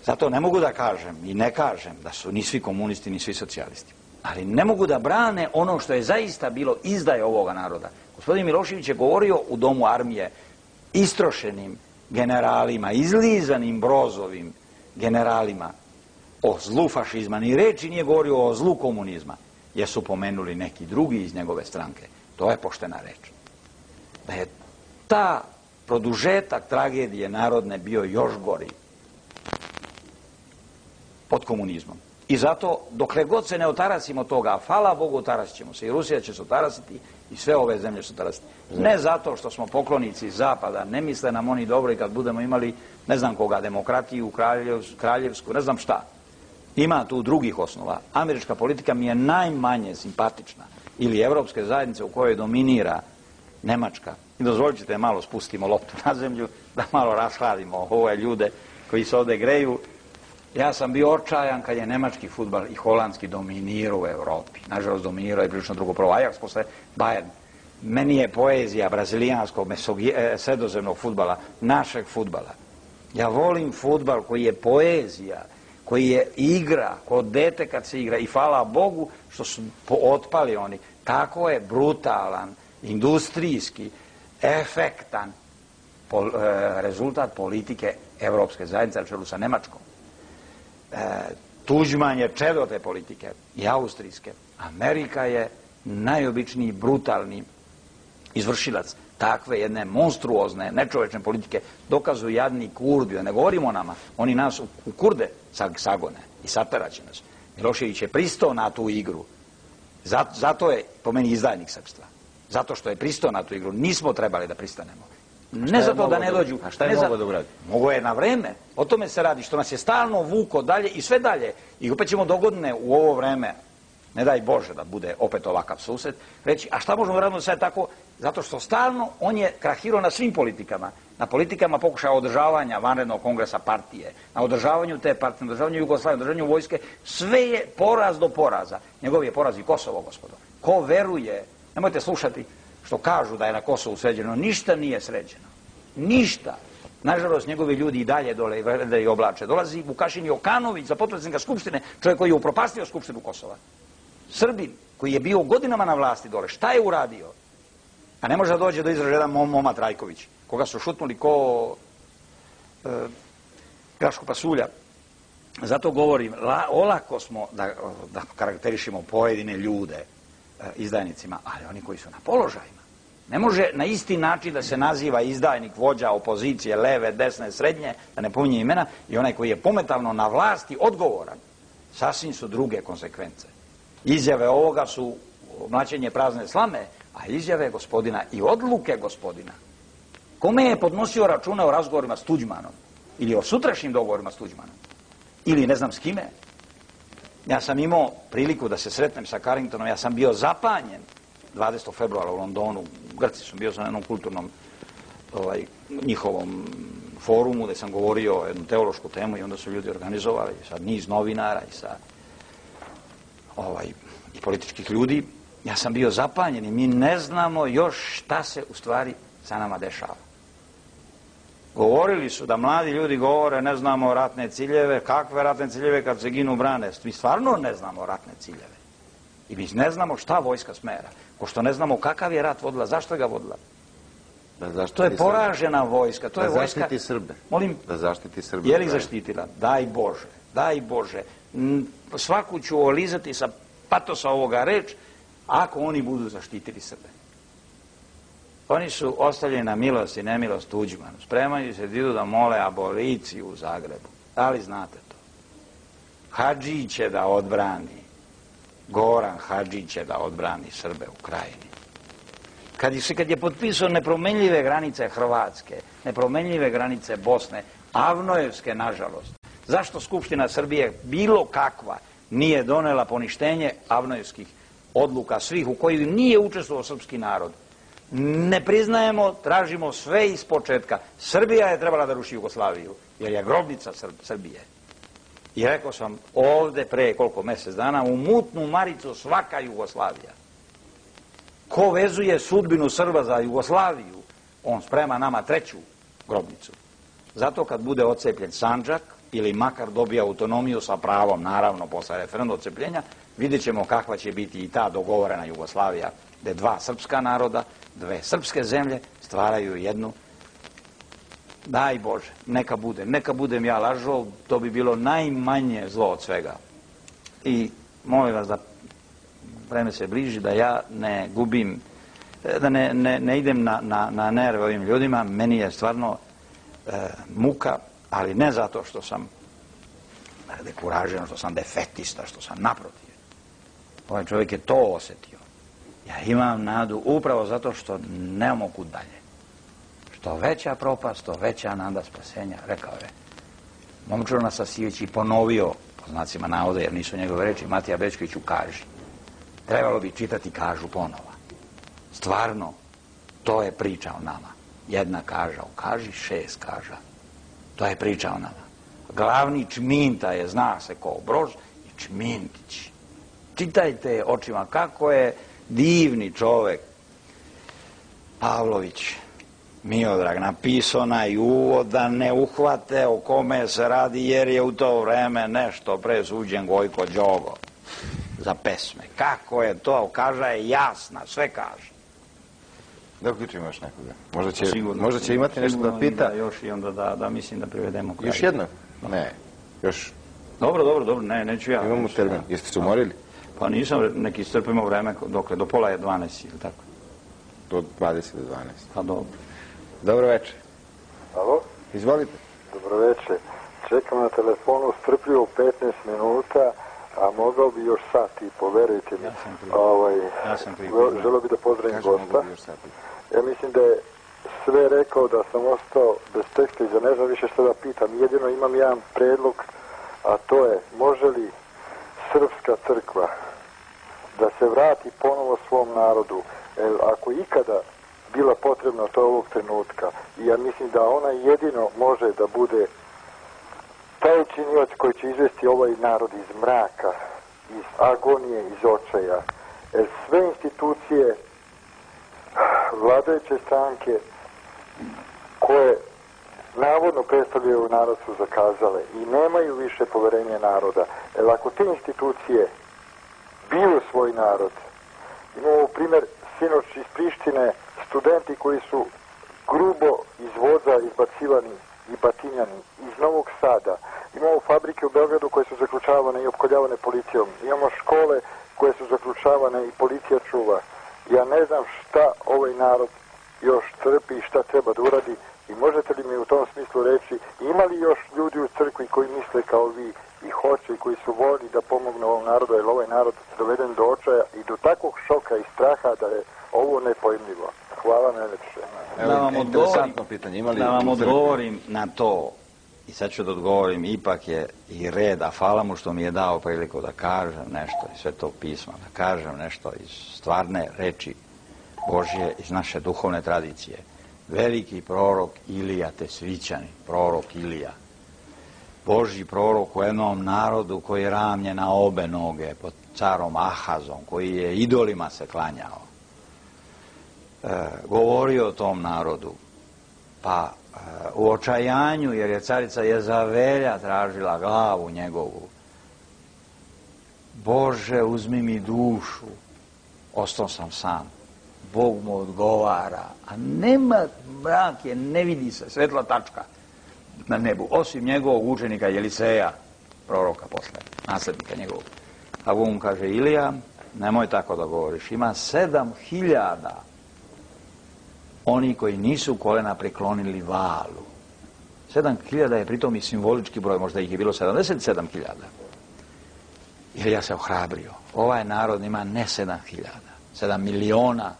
Zato ne mogu da kažem i ne kažem da su ni svi komunisti, ni svi socijalisti. Ali ne mogu da brane ono što je zaista bilo izdaje ovoga naroda. Gospodin Milošević je govorio u Domu armije istrošenim generalima, izlizanim Brozovim generalima o zlu fašizma. Ni reči nije govorio o zlu komunizma, jer su pomenuli neki drugi iz njegove stranke. To je poštena reč. Da je ta produžetak tragedije narodne bio još gori pod komunizmom. I zato, dokle god se ne otarasimo toga, a hvala Bogu otarasit ćemo se, i Rusija će se otarasiti, i sve ove zemlje će se otarasiti. Ne zato što smo poklonici Zapada, ne misle nam oni dobro i kad budemo imali, ne znam koga, demokratiju, kraljevsku, ne znam šta. Ima tu drugih osnova. Američka politika mi je najmanje simpatična. Ili evropske zajednice u kojoj dominira Nemačka. I dozvolit ćete malo spustimo loptu na zemlju, da malo rashladimo ove ljude koji se ovde greju. Ja sam bio očajan kad je nemački fudbal i holandski dominirao u Evropi. Nažalost, dominirao je prilično drugo prvo Ajax, posle Bayern. Meni je poezija brazilijanskog, sredozemnog fudbala, našeg fudbala. Ja volim fudbal koji je poezija, koji je igra, kod dete kad se igra. I hvala Bogu što su otpali oni. Tako je brutalan, industrijski, efektan rezultat politike Evropske zajednice na čelu sa Nemačkom. Tuđman je čedo te politike i austrijske. Amerika je najobičniji, brutalni izvršilac takve jedne monstruozne, nečovečne politike. Dokazuju jadni Kurdi, da ne govorimo o nama, oni nas u Kurde sagone i sateraće nas. Milošević je pristao na tu igru. Zato je po meni izdajnik srpstva. Zato što je pristao na tu igru. Nismo trebali da pristanemo. Ne zato da ne dođu. A šta je mogo da uradi? Mogo je na vreme. O tome se radi, što nas je stalno vuko dalje i sve dalje. I opet ćemo dogodine u ovo vreme, ne daj Bože da bude opet ovakav susret, reći, a šta možemo raditi sad tako? Zato što stalno on je krahirao na svim politikama. Na politikama pokušaja održavanja vanrednog kongresa partije, na održavanju te partije, na održavanju Jugoslavije, na održavanju vojske. Sve je poraz do poraza. Njegov je poraz i Kosovo, gospodo. Ko veruje, nemojte slušati što kažu da je na Kosovu sređeno, ništa nije sređeno. Ništa. Nažalost, njegovi ljudi i dalje dole i oblače. Dolazi Vukašin Jokanović za potpredsjednika Skupštine, čovjek koji je upropastio Skupštinu Kosova. Srbin, koji je bio godinama na vlasti dole, šta je uradio? A ne može da dođe do izražaja jedan Moma Trajković, koga su šutnuli ko grašku pasulja. Zato govorim, olako smo da karakterišemo pojedine ljude izdajnicima, ali oni koji su na položajima. Ne može na isti način da se naziva izdajnik, vođa opozicije, leve, desne, srednje, da ne pominje imena, i onaj koji je pometalno na vlasti odgovoran. Sasvim su druge konsekvence. Izjave ovoga su mlaćenje prazne slame, a izjave gospodina i odluke gospodina. Kome je podnosio račune o razgovorima s Tuđmanom? Ili o sutrašnjim dogovorima s Tuđmanom? Ili ne znam s kime? Ja sam imao priliku da se sretnem sa Carringtonom, ja sam bio zapanjen 20. februara u Londonu, u Grci sam bio na jednom kulturnom njihovom forumu gde sam govorio o jednu teološku temu i onda su ljudi organizovali sa niz novinara i sa i političkih ljudi. Ja sam bio zapanjen i mi ne znamo još šta se u stvari sa nama dešava. Govorili su da mladi ljudi govore ne znamo ratne ciljeve, kakve ratne ciljeve kad se ginu brane. Mi stvarno ne znamo ratne ciljeve. I mi ne znamo šta vojska smera. Ko što ne znamo kakav je rat vodila, zašto ga vodila. To je poražena vojska. Da zaštiti Srbe. Molim? Da zaštiti Srbe. Je li zaštitila? Daj Bože. Daj Bože. Svaku ću olizati sa patosa ovoga reč, ako oni budu zaštitili Srbe. Oni su ostavljeni na milost i nemilost Tuđmanu. Spremaju se da idu da mole aboliciju u Zagrebu. Da li znate to? Hadži će da odbrani, Goran Hadži će da odbrani Srbe u Krajini. Kad je potpisao nepromenljive granice Hrvatske, nepromenljive granice Bosne, Avnojevske, nažalost, zašto Skupština Srbije bilo kakva nije donela poništenje Avnojevskih odluka svih u kojih nije učestvovao srpski narod? Ne priznajemo, tražimo sve iz početka. Srbija je trebala da ruši Jugoslaviju, jer je grobnica Srbije. I rekao sam ovde pre koliko mjesec dana, u mutnu maricu svaka Jugoslavija. Ko vezuje sudbinu Srba za Jugoslaviju, on sprema nama treću grobnicu. Zato kad bude odcepljen Sandžak, ili makar dobije autonomiju sa pravom, naravno, posle referenduma odcepljenja, vidjet ćemo kakva će biti i ta dogovorena Jugoslavija, gde dva srpska naroda, dve srpske zemlje stvaraju jednu. Daj Bože, neka budem ja lažov, to bi bilo najmanje zlo od svega. I molim vas da vreme se bliži, da ja ne gubim, da ne idem na nerve ovim ljudima. Meni je stvarno muka, ali ne zato što sam dekuražen, što sam defetista, što sam naprotiv. Ovaj čovjek je to osetio. Ja imam nadu upravo zato što nemamo kud dalje. Što veća propast, to veća nada spasenja, rekao je Momčilo Nasasijević i ponovio, po znacima navoda, jer nisu njegove reči, Matija Bećković u Kaži. Trebalo bi čitati Kažu ponova. Stvarno, to je priča o nama. Jedna kaža u Kaži, 6 kaža. To je priča o nama. Glavni Čminta je, zna se ko Brož, i Čmintić. Čitajte očima kako je divni čovek Pavlović Miodrag napisao onaj uvod da ne uhvate o kome se radi, jer je u to vreme nešto presuđen Gojko Đogo za pesme. Kako je to? Kaža je jasna, sve kaže. Da uključimo još nekoga. Možda će imati nešto da pita. Još i onda da mislim da privedemo kraj. Još jedno? Ne. Još? Dobro, neću ja. Imamo termin. Jeste se umorili? Pa nisam, neki strpimo vreme, dokle, do pola je 12, ili tako? Do 20 do 12. Pa dobro. Dobro večer. Alo? Izvolite. Dobro večer. Čekam na telefonu strpljivo 15 minuta, a mogao bi još sat i poverujte mi. Ja sam pripremio. Želeo bi da pozdravim gosta. Ja mislim da je sve rekao, da sam ostao bez teksta i da ne znam više što da pitam. Jedino imam jedan predlog, a to je, može li srpska crkva da se vrati ponovo svom narodu? Ako ikada bila potrebna to ovog trenutka, i ja mislim da ona jedino može da bude taj činilac koji će izvesti ovaj narod iz mraka, iz agonije, iz očaja. Jer sve institucije, vladajuće stranke koje navodno predstavljaju narod su zakazale i nemaju više poverenja naroda. Jer ako te institucije biju svoj narod, imamo primjer sinoć iz Prištine, studenti koji su grubo iz voza izbacivani i batinjani iz Novog Sada. Imamo fabrike u Beogradu koje su zaključavane i opkoljavane policijom. Imamo škole koje su zaključavane i policija čuva. Ja ne znam šta ovaj narod još trpi i šta treba da uradi, i možete li mi u tom smislu reći, ima li još ljudi u crkvi koji misle kao vi i hoće i koji su voljni da pomognu ovom narodu, jer ovaj narod doveden do očaja i do takvog šoka i straha da je ovo nepojmljivo. Hvala najlepše. Da vam odgovorim na to, i sad ću da odgovorim, ipak je i red, a hvala mu što mi je dao priliku da kažem nešto iz Svetog pisma, da kažem nešto iz stvarne reči Božje, iz naše duhovne tradicije. Veliki prorok Ilija Tesvićanin, prorok Ilija, Božji prorok u jednom narodu koji je ramljen na obe noge pod carom Ahazom, koji je idolima se klanjao, govorio o tom narodu, pa u očajanju, jer je carica Jezavelja tražila glavu njegovu, Bože, uzmi mi dušu, ostao sam sam, Bog mu odgovara, a nema, mrak je, ne vidi se, svetla tačka na nebu, osim njegovog učenika Jeliseja, proroka posle, naslednika njegovog. A Bog mu kaže, Ilija, nemoj tako da govoriš, ima 7.000 oni koji nisu kolena preklonili Valu. 7.000 je pritom i simbolički broj, možda ih je bilo 77.000. Ilija se ohrabrio. Ovaj narod ima ne 7.000, 7 miliona.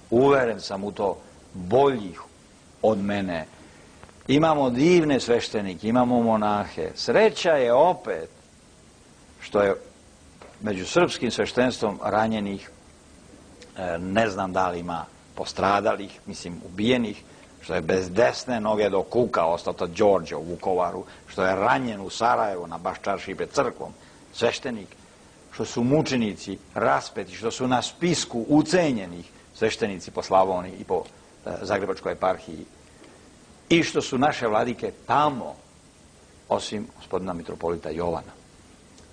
Uveren sam u to, boljih od mene. Imamo divne sveštenike, imamo monahe. Sreća je opet što je među srpskim sveštenstvom ranjenih, ne znam da li ima postradalih, mislim ubijenih, što je bez desne noge do kuka ostao to Đorđe u Vukovaru, što je ranjen u Sarajevu na Baščaršiji pred crkvom, sveštenik, što su mučenici raspeti, što su na spisku ucenjenih sveštenici po Slavoniji i po Zagrebačkoj eparhiji i što su naše vladike tamo, osim gospodina mitropolita Jovana.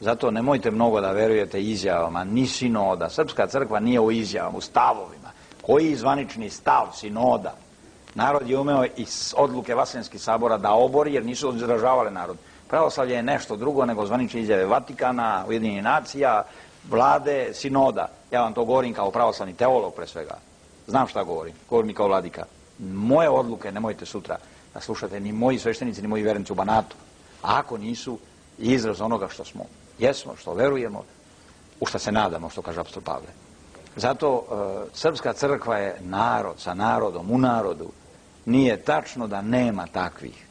Zato nemojte mnogo da verujete izjavama, ni sinoda. Srpska crkva nije u izjavama, u stavovima. Koji je zvanični stav sinoda? Narod je umeo iz odluke Vaseljenskih sabora da obori, jer nisu izražavale narod. Pravoslavlje je nešto drugo nego zvanične izjave Vatikana, Ujedinjenih nacija, vlade, sinoda. Ja vam to govorim kao pravoslavni teolog pre svega. Znam šta govorim, govorim i kao vladika. Moje odluke nemojte sutra da slušate ni moji sveštenici, ni moji vernici u Banatu. A ako nisu, izraz onoga što smo, jesmo, što verujemo, u što se nadamo, što kaže apostol Pavle. Zato Srpska crkva je narod sa narodom, u narodu. Nije tačno da nema takvih.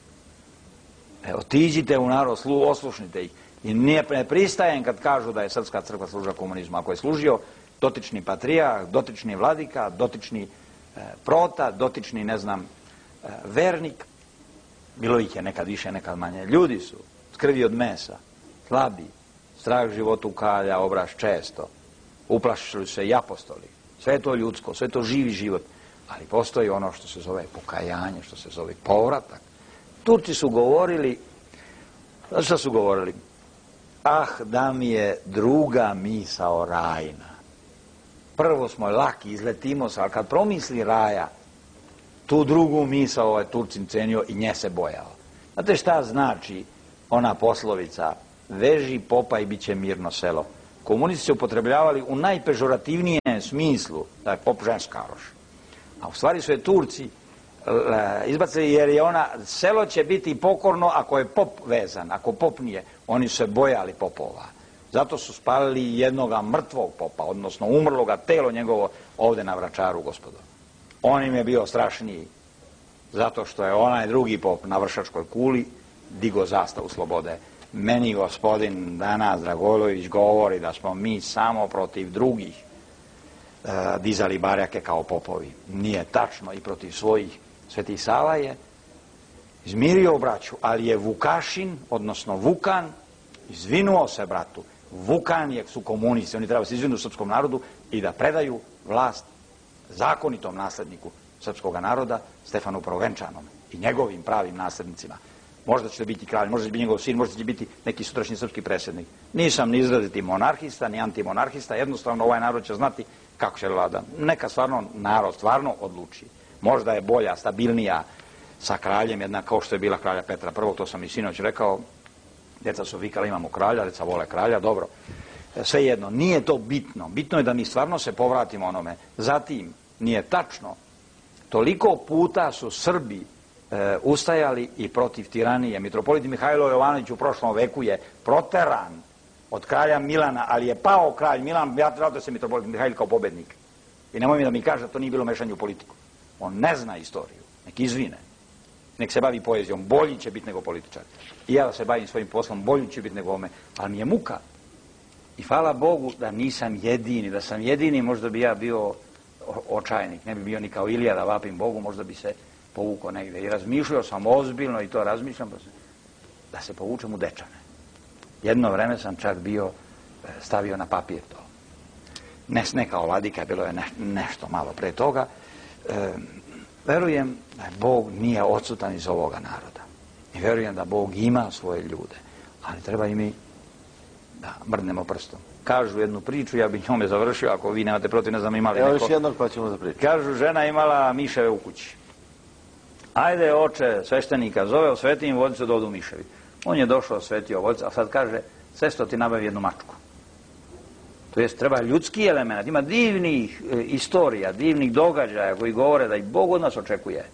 Otiđite u narod, oslušnite ih. I ne pristajem kad kažu da je Srpska crkva služila komunizmu. Ako je služio dotični patrijarh, dotični vladika, dotični prota, dotični, ne znam, vernik, bilo ih je nekad više, nekad manje. Ljudi su krvi od mesa, slabi, strah životu kalja, obraz često. Uplašili se i apostoli. Sve je to ljudsko, sve je to živi život. Ali postoji ono što se zove pokajanje, što se zove povratak. Turci su govorili, šta su govorili? Ah, da mi je druga misao rajna. Prvo smo laki, izletimo se, ali kad promisli raja, tu drugu misao ovaj Turcin cenio i nje se bojao. Znate šta znači ona poslovica, veži popa i bit će mirno selo? Komunisti se upotrebljavali u najpežorativnijem smislu, da je pop ženskaroš. A u stvari su je Turci izbacili jer je ona, selo će biti pokorno ako je pop vezan, ako pop nije. Oni su se bojali popova. Zato su spalili jednoga mrtvog popa, odnosno umrloga telo njegovo ovde na Vračaru, gospodo. On im je bio strašniji, zato što je onaj drugi pop na Vršačkoj kuli digo zastavu slobode. Meni gospodin danas Dragojlović govori da smo mi samo protiv drugih dizali barjake kao popovi. Nije tačno, i protiv svojih. Sveti Sava je izmirio braću, ali je Vukašin, odnosno Vukan, izvinuo se bratu. Vukan su komunisti, oni treba se izvinu srpskom narodu i da predaju vlast zakonitom nasledniku srpskog naroda, Stefanu Prvenčanom i njegovim pravim naslednicima. Možda će biti kralj, možda će biti njegov sin, možda će biti neki sutrašnji srpski predsjednik. Nisam ni izraziti monarhista, ni antimonarhista, jednostavno ovaj narod će znati kako će vlada. Neka stvarno narod stvarno odluči. Možda je bolja, stabilnija sa kraljem, jedna kao što je bila kralja Petra I, to sam i sinoć rekao, djeca su vikali imamo kralja, djeca vole kralja, dobro. Svejedno, nije to bitno. Bitno je da mi stvarno se povratimo onome. Zatim, nije tačno, toliko puta su Srbi ustajali i protiv tiranije. Mitropolit Mihajlo Jovanović u prošlom veku je proteran od kralja Milana, ali je pao kralj Milan, ja trebao da se mitropolit Mihajlo kao pobednik. I nemoj mi da mi kaže da to nije bilo mešanje u politiku. On ne zna istoriju, nek izvine, nek se bavi poezijom, bolji će biti nego političar. I ja da se bavim svojim poslom, bolji će biti nego ome, ali mi je muka. I hvala Bogu da nisam jedini, da sam jedini, možda bi ja bio očajnik, ne bi bio ni kao Ilija da vapim Bogu, možda bi se povukao negde. I razmišljao sam ozbiljno i to razmišljam da se povučem u Dečane. Jedno vreme sam čak bio stavio na papir to. Ne kao vladika, bilo je nešto malo pre toga. Verujem da Bog nije odsutan iz ovoga naroda. I verujem da Bog ima svoje ljude. Ali treba i mi da mrdnemo prstom. kažu jednu priču, ja bih njome završio, ako vi nemate protiv, ne znam imali neko. Evo još jednog pa ćemo za priču. Kažu, žena imala miševe u kući. Ajde, oče sveštenika zove, osveti im vodicu da odu miševi. On je došao, osvetio vodicu, a sad kaže, sestro ti nabavi jednu mačku. To jest, treba ljudski element, ima divnih istorija, divnih događaja koji govore da i Bog od nas očekuje.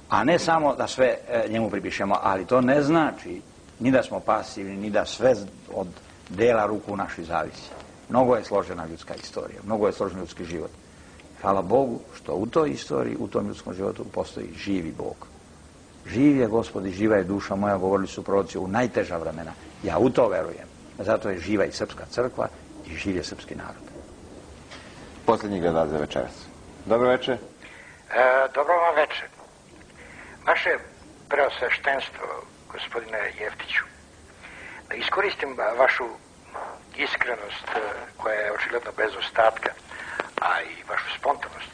A ne samo da sve njemu pripišemo, ali to ne znači ni da smo pasivni, ni da sve od dela ruku naših zavisi. Mnogo je složena ljudska istorija, mnogo je složen ljudski život. Hvala Bogu što u toj istoriji, u tom ljudskom životu postoji živi Bog. Živ je Gospod i živa je duša moja, govorili su proroci u najteža vremena. Ja u to verujem. Zato je živa i srpska crkva i živ je srpski narod. Posljednji gledalac za večeras. Dobro večer. Dobro vam večer. Vaše preosveštenstvo, gospodine Jeftiću, da iskoristim vašu iskrenost koja je očigledno bez ostatka, a i vašu spontanost,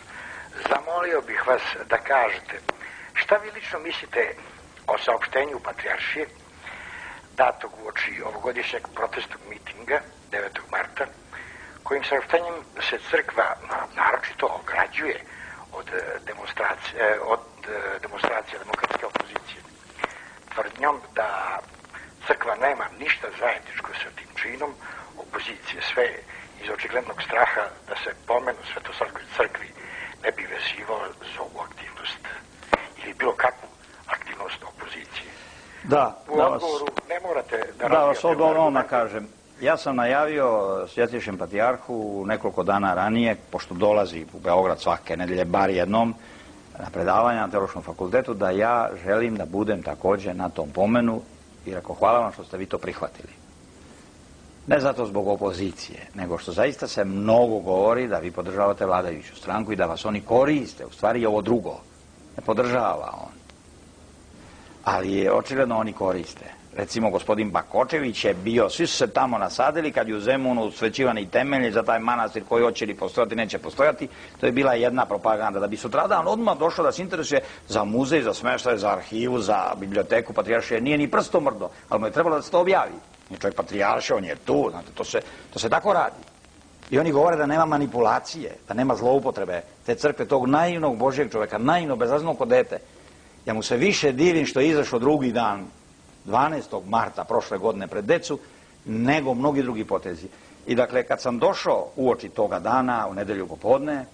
zamolio bih vas da kažete šta vi lično mislite o saopštenju Patrijaršije datog uoči ovogodišnjeg protestnog mitinga 9. marta, kojim saopštenjem se crkva naročito ograđuje od demonstracije demokratske opozicije, tvrdnjom da crkva nema ništa zajedničko sa tim činom opozicije, sve iz očiglednog straha da se pomen u Svetosavskoj crkvi ne bi vezivao za ovu aktivnost ili bilo kakvu aktivnost opozicije. Da, u odgovoru ne morate da vas odgovorno kažem. Ja sam najavio Svjetejšem patrijarhu nekoliko dana ranije, pošto dolazi u Beograd svake nedelje bar jednom na predavanja na Teološkom fakultetu, da ja želim da budem također na tom pomenu i rekao hvala vam što ste vi to prihvatili. Ne zato zbog opozicije, nego što zaista se mnogo govori da vi podržavate vladajuću stranku i da vas oni koriste, u stvari je ovo drugo. Ne podržava on. Ali je očigledno oni koriste. Recimo, gospodin Bakočević je bio, svi su se tamo nasadili kad je u Zemunu svećivani temelji za taj manastir koji hoće li postojati, neće postojati. To je bila jedna propaganda. Da bi sutradan odmah došao da se interesuje za muzej, za smeštaj, za arhivu, za biblioteku Patrijaršije. Nije ni prstom mrdo, ali mu je trebalo da se to objavi. Nije čovjek Patrijaršija, on je tu, znate, to se tako radi. I oni govore da nema manipulacije, da nema zloupotrebe te crkve, tog naivnog Božjeg čovjeka, naivno, bezrazno ko dete. Ja mu se više divim što je izašao drugi dan, 12. marta prošle godine pred decu, nego mnogi drugi potezi. I dakle, kad sam došao uoči toga dana, u nedelju popodne,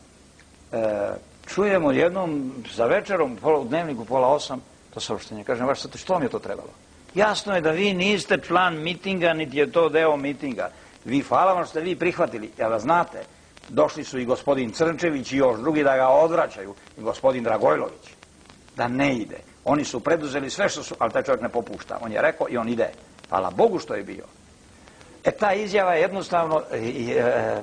čujemo jednom za večerom, u dnevniku 7:30, to saopštenje. Kažem, vaš sad, što vam je to trebalo? Jasno je da vi niste član mitinga, niti je to deo mitinga. Vi, hvala vam što ste vi prihvatili, ja da znate, došli su i gospodin Crnčević i još drugi da ga odvraćaju, i gospodin Dragojlović, da ne ide. Oni su preduzeli sve što su, ali taj čovjek ne popušta. On je rekao i on ide. Hvala Bogu što je bio. Ta izjava je jednostavno,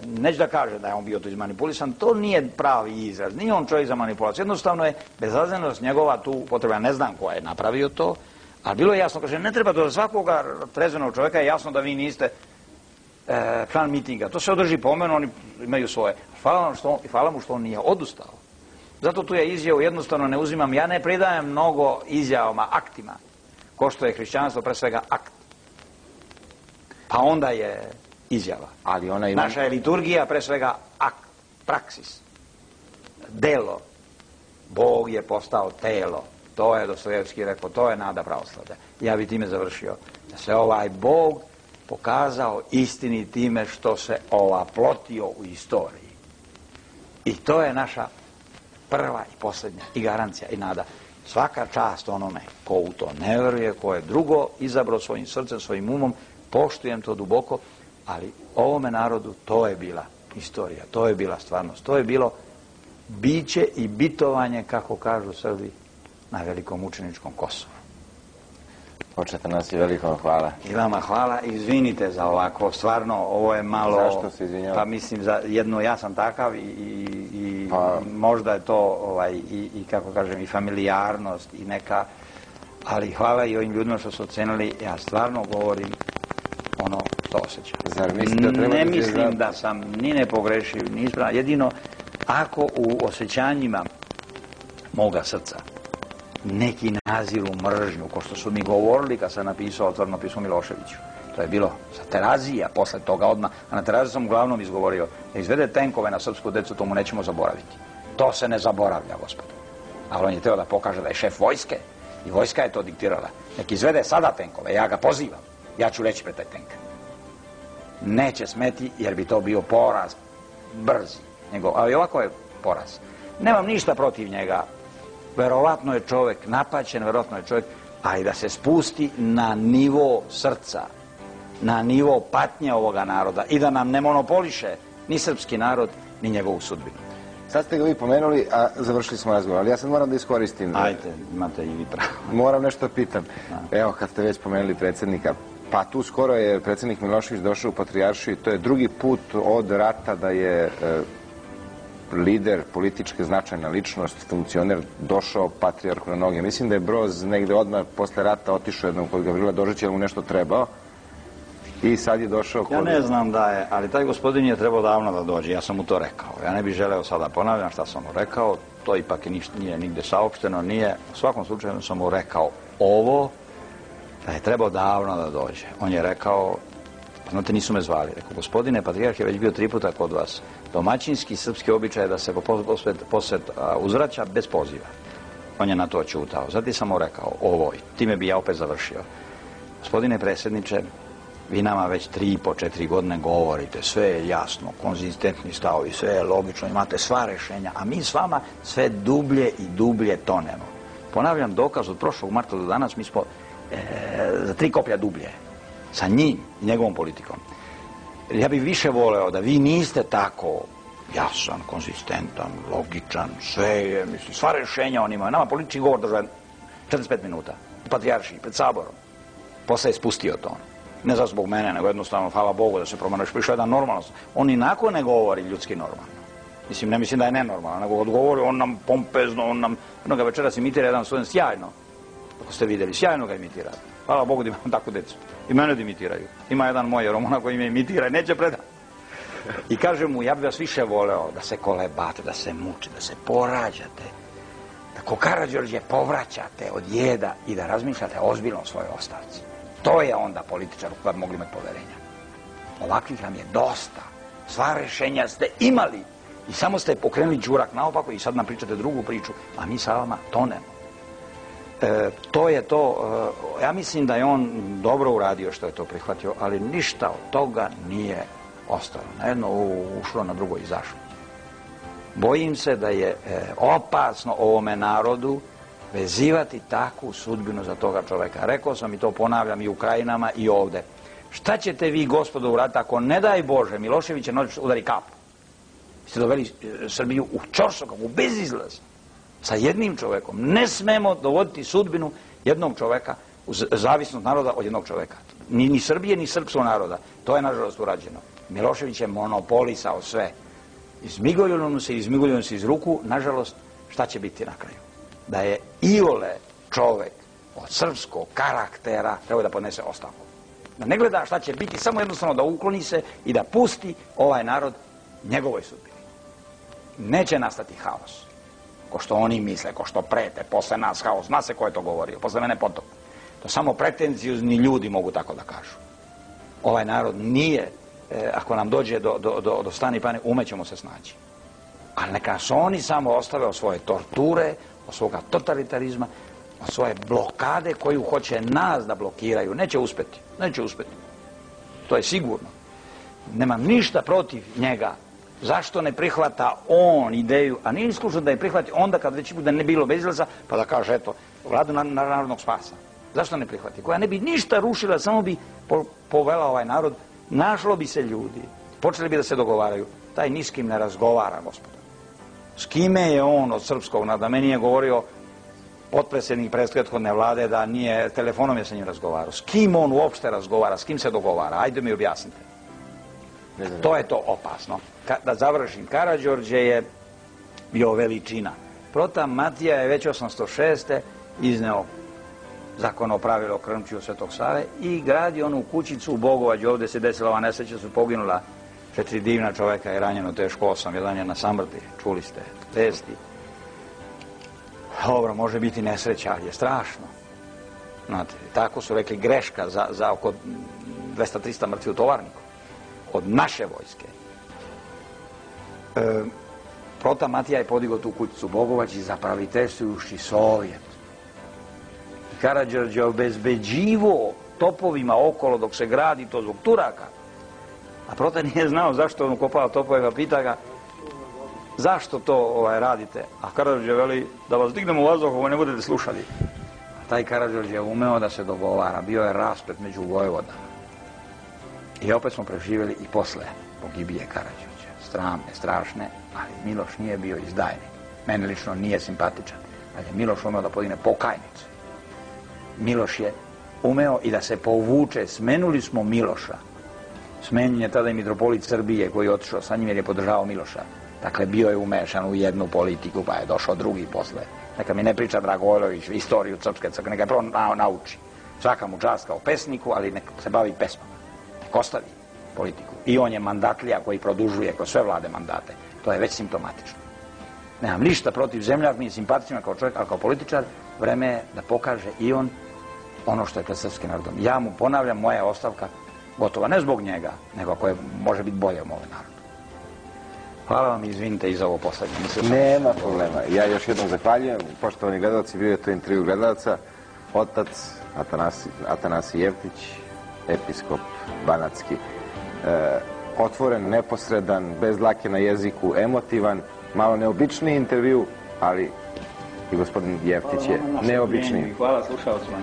neću da kaže da je on bio to izmanipulisan, to nije pravi izraz. Nije on čovjek za manipulaciju. Jednostavno je bezazlenost njegova tu potreba. Ne znam ko je napravio to, ali bilo je jasno. Kaže, ne treba do svakoga trezvenog čovjeka je jasno da vi niste član mitinga. To se održi pomenu, oni imaju svoje. Hvala mu što on nije odustao. Zato tu ja izjavu jednostavno ne uzimam. Ja ne pridajem mnogo izjavama, aktima, ko što je hrišćanstvo pre svega akt. Pa onda je izjava. Ali ona naša je liturgija pre svega akt, praksis, delo. Bog je postao telo. To je Dostojevski rekao, to je nada pravoslavlja. Ja bi time završio. Da se ovaj Bog pokazao istini time što se ovaplotio u istoriji. I to je naša prva i posljednja i garancija i nada. Svaka čast onome ko u to ne veruje, ko je drugo izabrao svojim srcem, svojim umom, poštujem to duboko, ali ovome narodu to je bila istorija, to je bila stvarnost, to je bilo biće i bitovanje, kako kažu Srbi, na velikom mučeničkom Kosovu. Počete nas i veliko hvala. I vama hvala, izvinite za ovako, stvarno, ovo je malo... Zašto se izvinjava? Pa mislim, za jedno, ja sam takav i možda je to, i kako kažem, i familijarnost i neka, ali hvala i ovim ljudima što su ocenili, ja stvarno govorim ono što osjećam. Zar mislite da treba ne mislim da sam ni ne pogrešio, ni ispravan, jedino ako u osjećanjima moga srca neki naziru mržnju, ko što su mi govorili kad sam napisao otvoreno pismo Miloševiću. To je bilo sa Terazija, posle toga odmah, a na Teraziju sam uglavnom izgovorio da izvede tenkove na srpsku decu, to mu nećemo zaboraviti. To se ne zaboravlja, gospodo. Ali on je teo da pokaže da je šef vojske i vojska je to diktirala. Nek izvede sada tenkove, ja ga pozivam. Ja ću reći pre taj tenk. Neće smeti jer bi to bio poraz brzi. Ali ovako je poraz. Nemam ništa protiv njega. Verovatno je čovek napaćen, verovatno je čovek, ali da se spusti na nivo srca, na nivo patnje ovoga naroda i da nam ne monopoliše ni srpski narod, ni njegovu sudbinu. Sad ste ga vi pomenuli, a završili smo razgovor, ali ja sad moram da iskoristim. Ajde, imate i vi pravo. Moram nešto da pitam. Evo, kad ste već spomenuli predsjednika, pa tu skoro je predsjednik Milošević došao u Patrijaršiju i to je drugi put od rata da je lider, političke značajna ličnost, funkcioner, došao patrijarhu na noge. Mislim da je Broz negde odmah posle rata otišao jednom kod Gavrila Dožića, jer mu nešto trebao. I sad je došao kod... Ja ne znam da je, ali taj gospodin je trebao davno da dođe, ja sam mu to rekao. Ja ne bih želeo sada ponavljam šta sam mu rekao, to ipak nije nigde saopšteno, nije. U svakom slučaju sam mu rekao ovo, da je trebao davno da dođe. On je rekao, znate, nisu me zvali. Rekao, gospodine, patrijarh je već bio 3 puta kod vas. Domaćinski srpski običaj je da se posvet uzvraća bez poziva. On je na to ćutao. Zatim sam mu rekao ovo, time bi ja opet završio. Gospodine predsjedniče, vi nama već 3,5-4 godine govorite, sve je jasno, konzistentni stavovi, sve je logično, imate sva rešenja, a mi s vama sve dublje i dublje tonemo. Ponavljam, dokaz od prošlog marta do danas, mi smo za 3 koplja dublje, sa njim i njegovom politikom. Ja bih više voleo da vi niste tako jasan, konzistentan, logičan, sve je, mislim, sva rešenja on ima. Nama politički govor država 45 minuta, u Patrijaršiji, pred Saborom. Posle je spustio to. Ne zato zbog mene, nego jednostavno, hvala Bogu da se promeniš, prišao jedan normalnost. On inako ne govori ljudski normalno. Mislim, ne mislim da je nenormalno, nego odgovori, on nam pompezno, on nam, jednoga večeras imitira jedan student sjajno, ako ste vidjeli, sjajno ga imitira. Hvala Bogu da imam tako decu. I mene da imitiraju. Ima jedan moj Romuna koji me imitira i neće predati. I kaže mu, ja bih vas više voleo da se kolebate, da se mučite, da se porađate, da ko Karađorđe povraćate od jeda i da razmišljate ozbiljno o svojoj ostavci. To je onda političar u kojem mogli imati poverenja. Ovakvih nam je dosta. Sva rešenja ste imali i samo ste pokrenuli đurak naopako i sad nam pričate drugu priču, a mi sa vama tonemo. To je to, ja mislim da je on dobro uradio što je to prihvatio, ali ništa od toga nije ostalo. Na jedno ušlo, na drugo izašlo. Bojim se da je opasno ovome narodu vezivati takvu sudbinu za toga čoveka. Rekao sam i to ponavljam i u Krajinama i ovde. Šta ćete vi, gospodo, uraditi ako, ne daj Bože, Milošević je noć udari kapu? Vi ste doveli Srbiju u ćorsokak, u bezizlaz. Sa jednim čovekom. Ne smemo dovoditi sudbinu jednog čoveka, zavisnost naroda od jednog čoveka. Ni Srbije, ni srpskog naroda. To je, nažalost, urađeno. Milošević je monopolisao sve. Izmigoljilo mu se iz ruku, nažalost, šta će biti na kraju? Da je iole čovek od srpskog karaktera treba da podnese ostavku. Da ne gleda šta će biti, samo jednostavno da ukloni se i da pusti ovaj narod njegovoj sudbini. Neće nastati haos. Ko što oni misle, ko što prete, posle nas haos. Zna se ko je to govorio, posle mene potop. To samo pretenciozni ljudi mogu tako da kažu. Ovaj narod nije, ako nam dođe do stani pane, umećemo se snaći. Ali neka se oni samo ostave od svoje torture, od svoga totalitarizma, od svoje blokade koju hoće nas da blokiraju. Neće uspeti. Neće uspeti. To je sigurno. Nemam ništa protiv njega. Zašto ne prihvata on ideju, a nije isključeno da je prihvati onda kad već bude ne bilo bezizlaza, pa da kaže, eto, vladu narodnog spasa. Zašto ne prihvati? Koja ne bi ništa rušila, samo bi povela ovaj narod, našlo bi se ljudi, počeli bi da se dogovaraju. Taj ni s kim ne razgovara, gospodo. S kime je on od srpskog naroda? Meni je govorio potpredsjednik prethodne vlade da nije, telefonom je sa njim razgovarao. S kim on uopšte razgovara, s kim se dogovara? Ajde mi objasnite. To je to opasno. Da završim, Karađorđe je bio veličina. Protam Matija je već 806. izneo zakon o pravilo Krmčiju Svetog Save i gradi onu kućicu u Bogovađu. Ovde se desila ova nesreća, su poginula 4 divna čoveka i ranjeno teško 8. Jedan je na samrti, čuli ste vesti. Dobro, može biti nesreća, ali je strašno. Znate, tako su rekli, greška za oko 200-300 mrtvi u Tovarniku. Od naše vojske. Prota Matija je podigao tu kućicu Bogovac i zapravitestujuši Sovjet. Karađorđe obezbeđivo topovima okolo dok se gradi to zbog Turaka. A Prota nije znao zašto on ukopava topove, pa pita ga zašto to radite? A Karađorđe veli da vas dignemo u vazduh, ovo ne budete slušali. A taj Karađorđe je umeo da se dogovara, bio je rasplet među vojvodama. I opet smo preživjeli i posle pogibije Karađorđe. Sramne, strašne, ali Miloš nije bio izdajnik. Mene lično nije simpatičan, ali je Miloš umeo da podigne pokajnicu. Miloš je umeo i da se povuče. Smenuli smo Miloša. Smenjen je tada i mitropolit Srbije koji je otišao sa njim jer je podržavao Miloša. Dakle, bio je umešan u jednu politiku, pa je došao drugi posle. Neka mi ne priča Dragojlović istoriju Srpske crkve, neka je prvo nauči. Svaka mu čast kao pesniku, ali neka se bavi pesmama. Neka ostavi politiku. I on je mandatlija koji produžuje kroz sve vlade mandate. To je već simptomatično. Nemam ništa protiv Zemljak, mi je simpatičan kao čovjek, ali kao političar, vreme je da pokaže i on ono što je pred srpskim narodom. Ja mu ponavljam, moja je ostavka gotova, ne zbog njega, nego koje može biti bolje u moj narodu. Hvala vam i izvinite i za ovo poslednje. Nema problema. Ja još jednom zahvaljujem. Poštovani gledalci, bio je to intervju gledalca. Otac Atanasij Jeftić, episkop banatski. Otvoren, neposredan, bez dlake na jeziku, emotivan, malo neobičniji intervju, ali i gospodin Jeftić je neobičniji. Hvala slušalcima.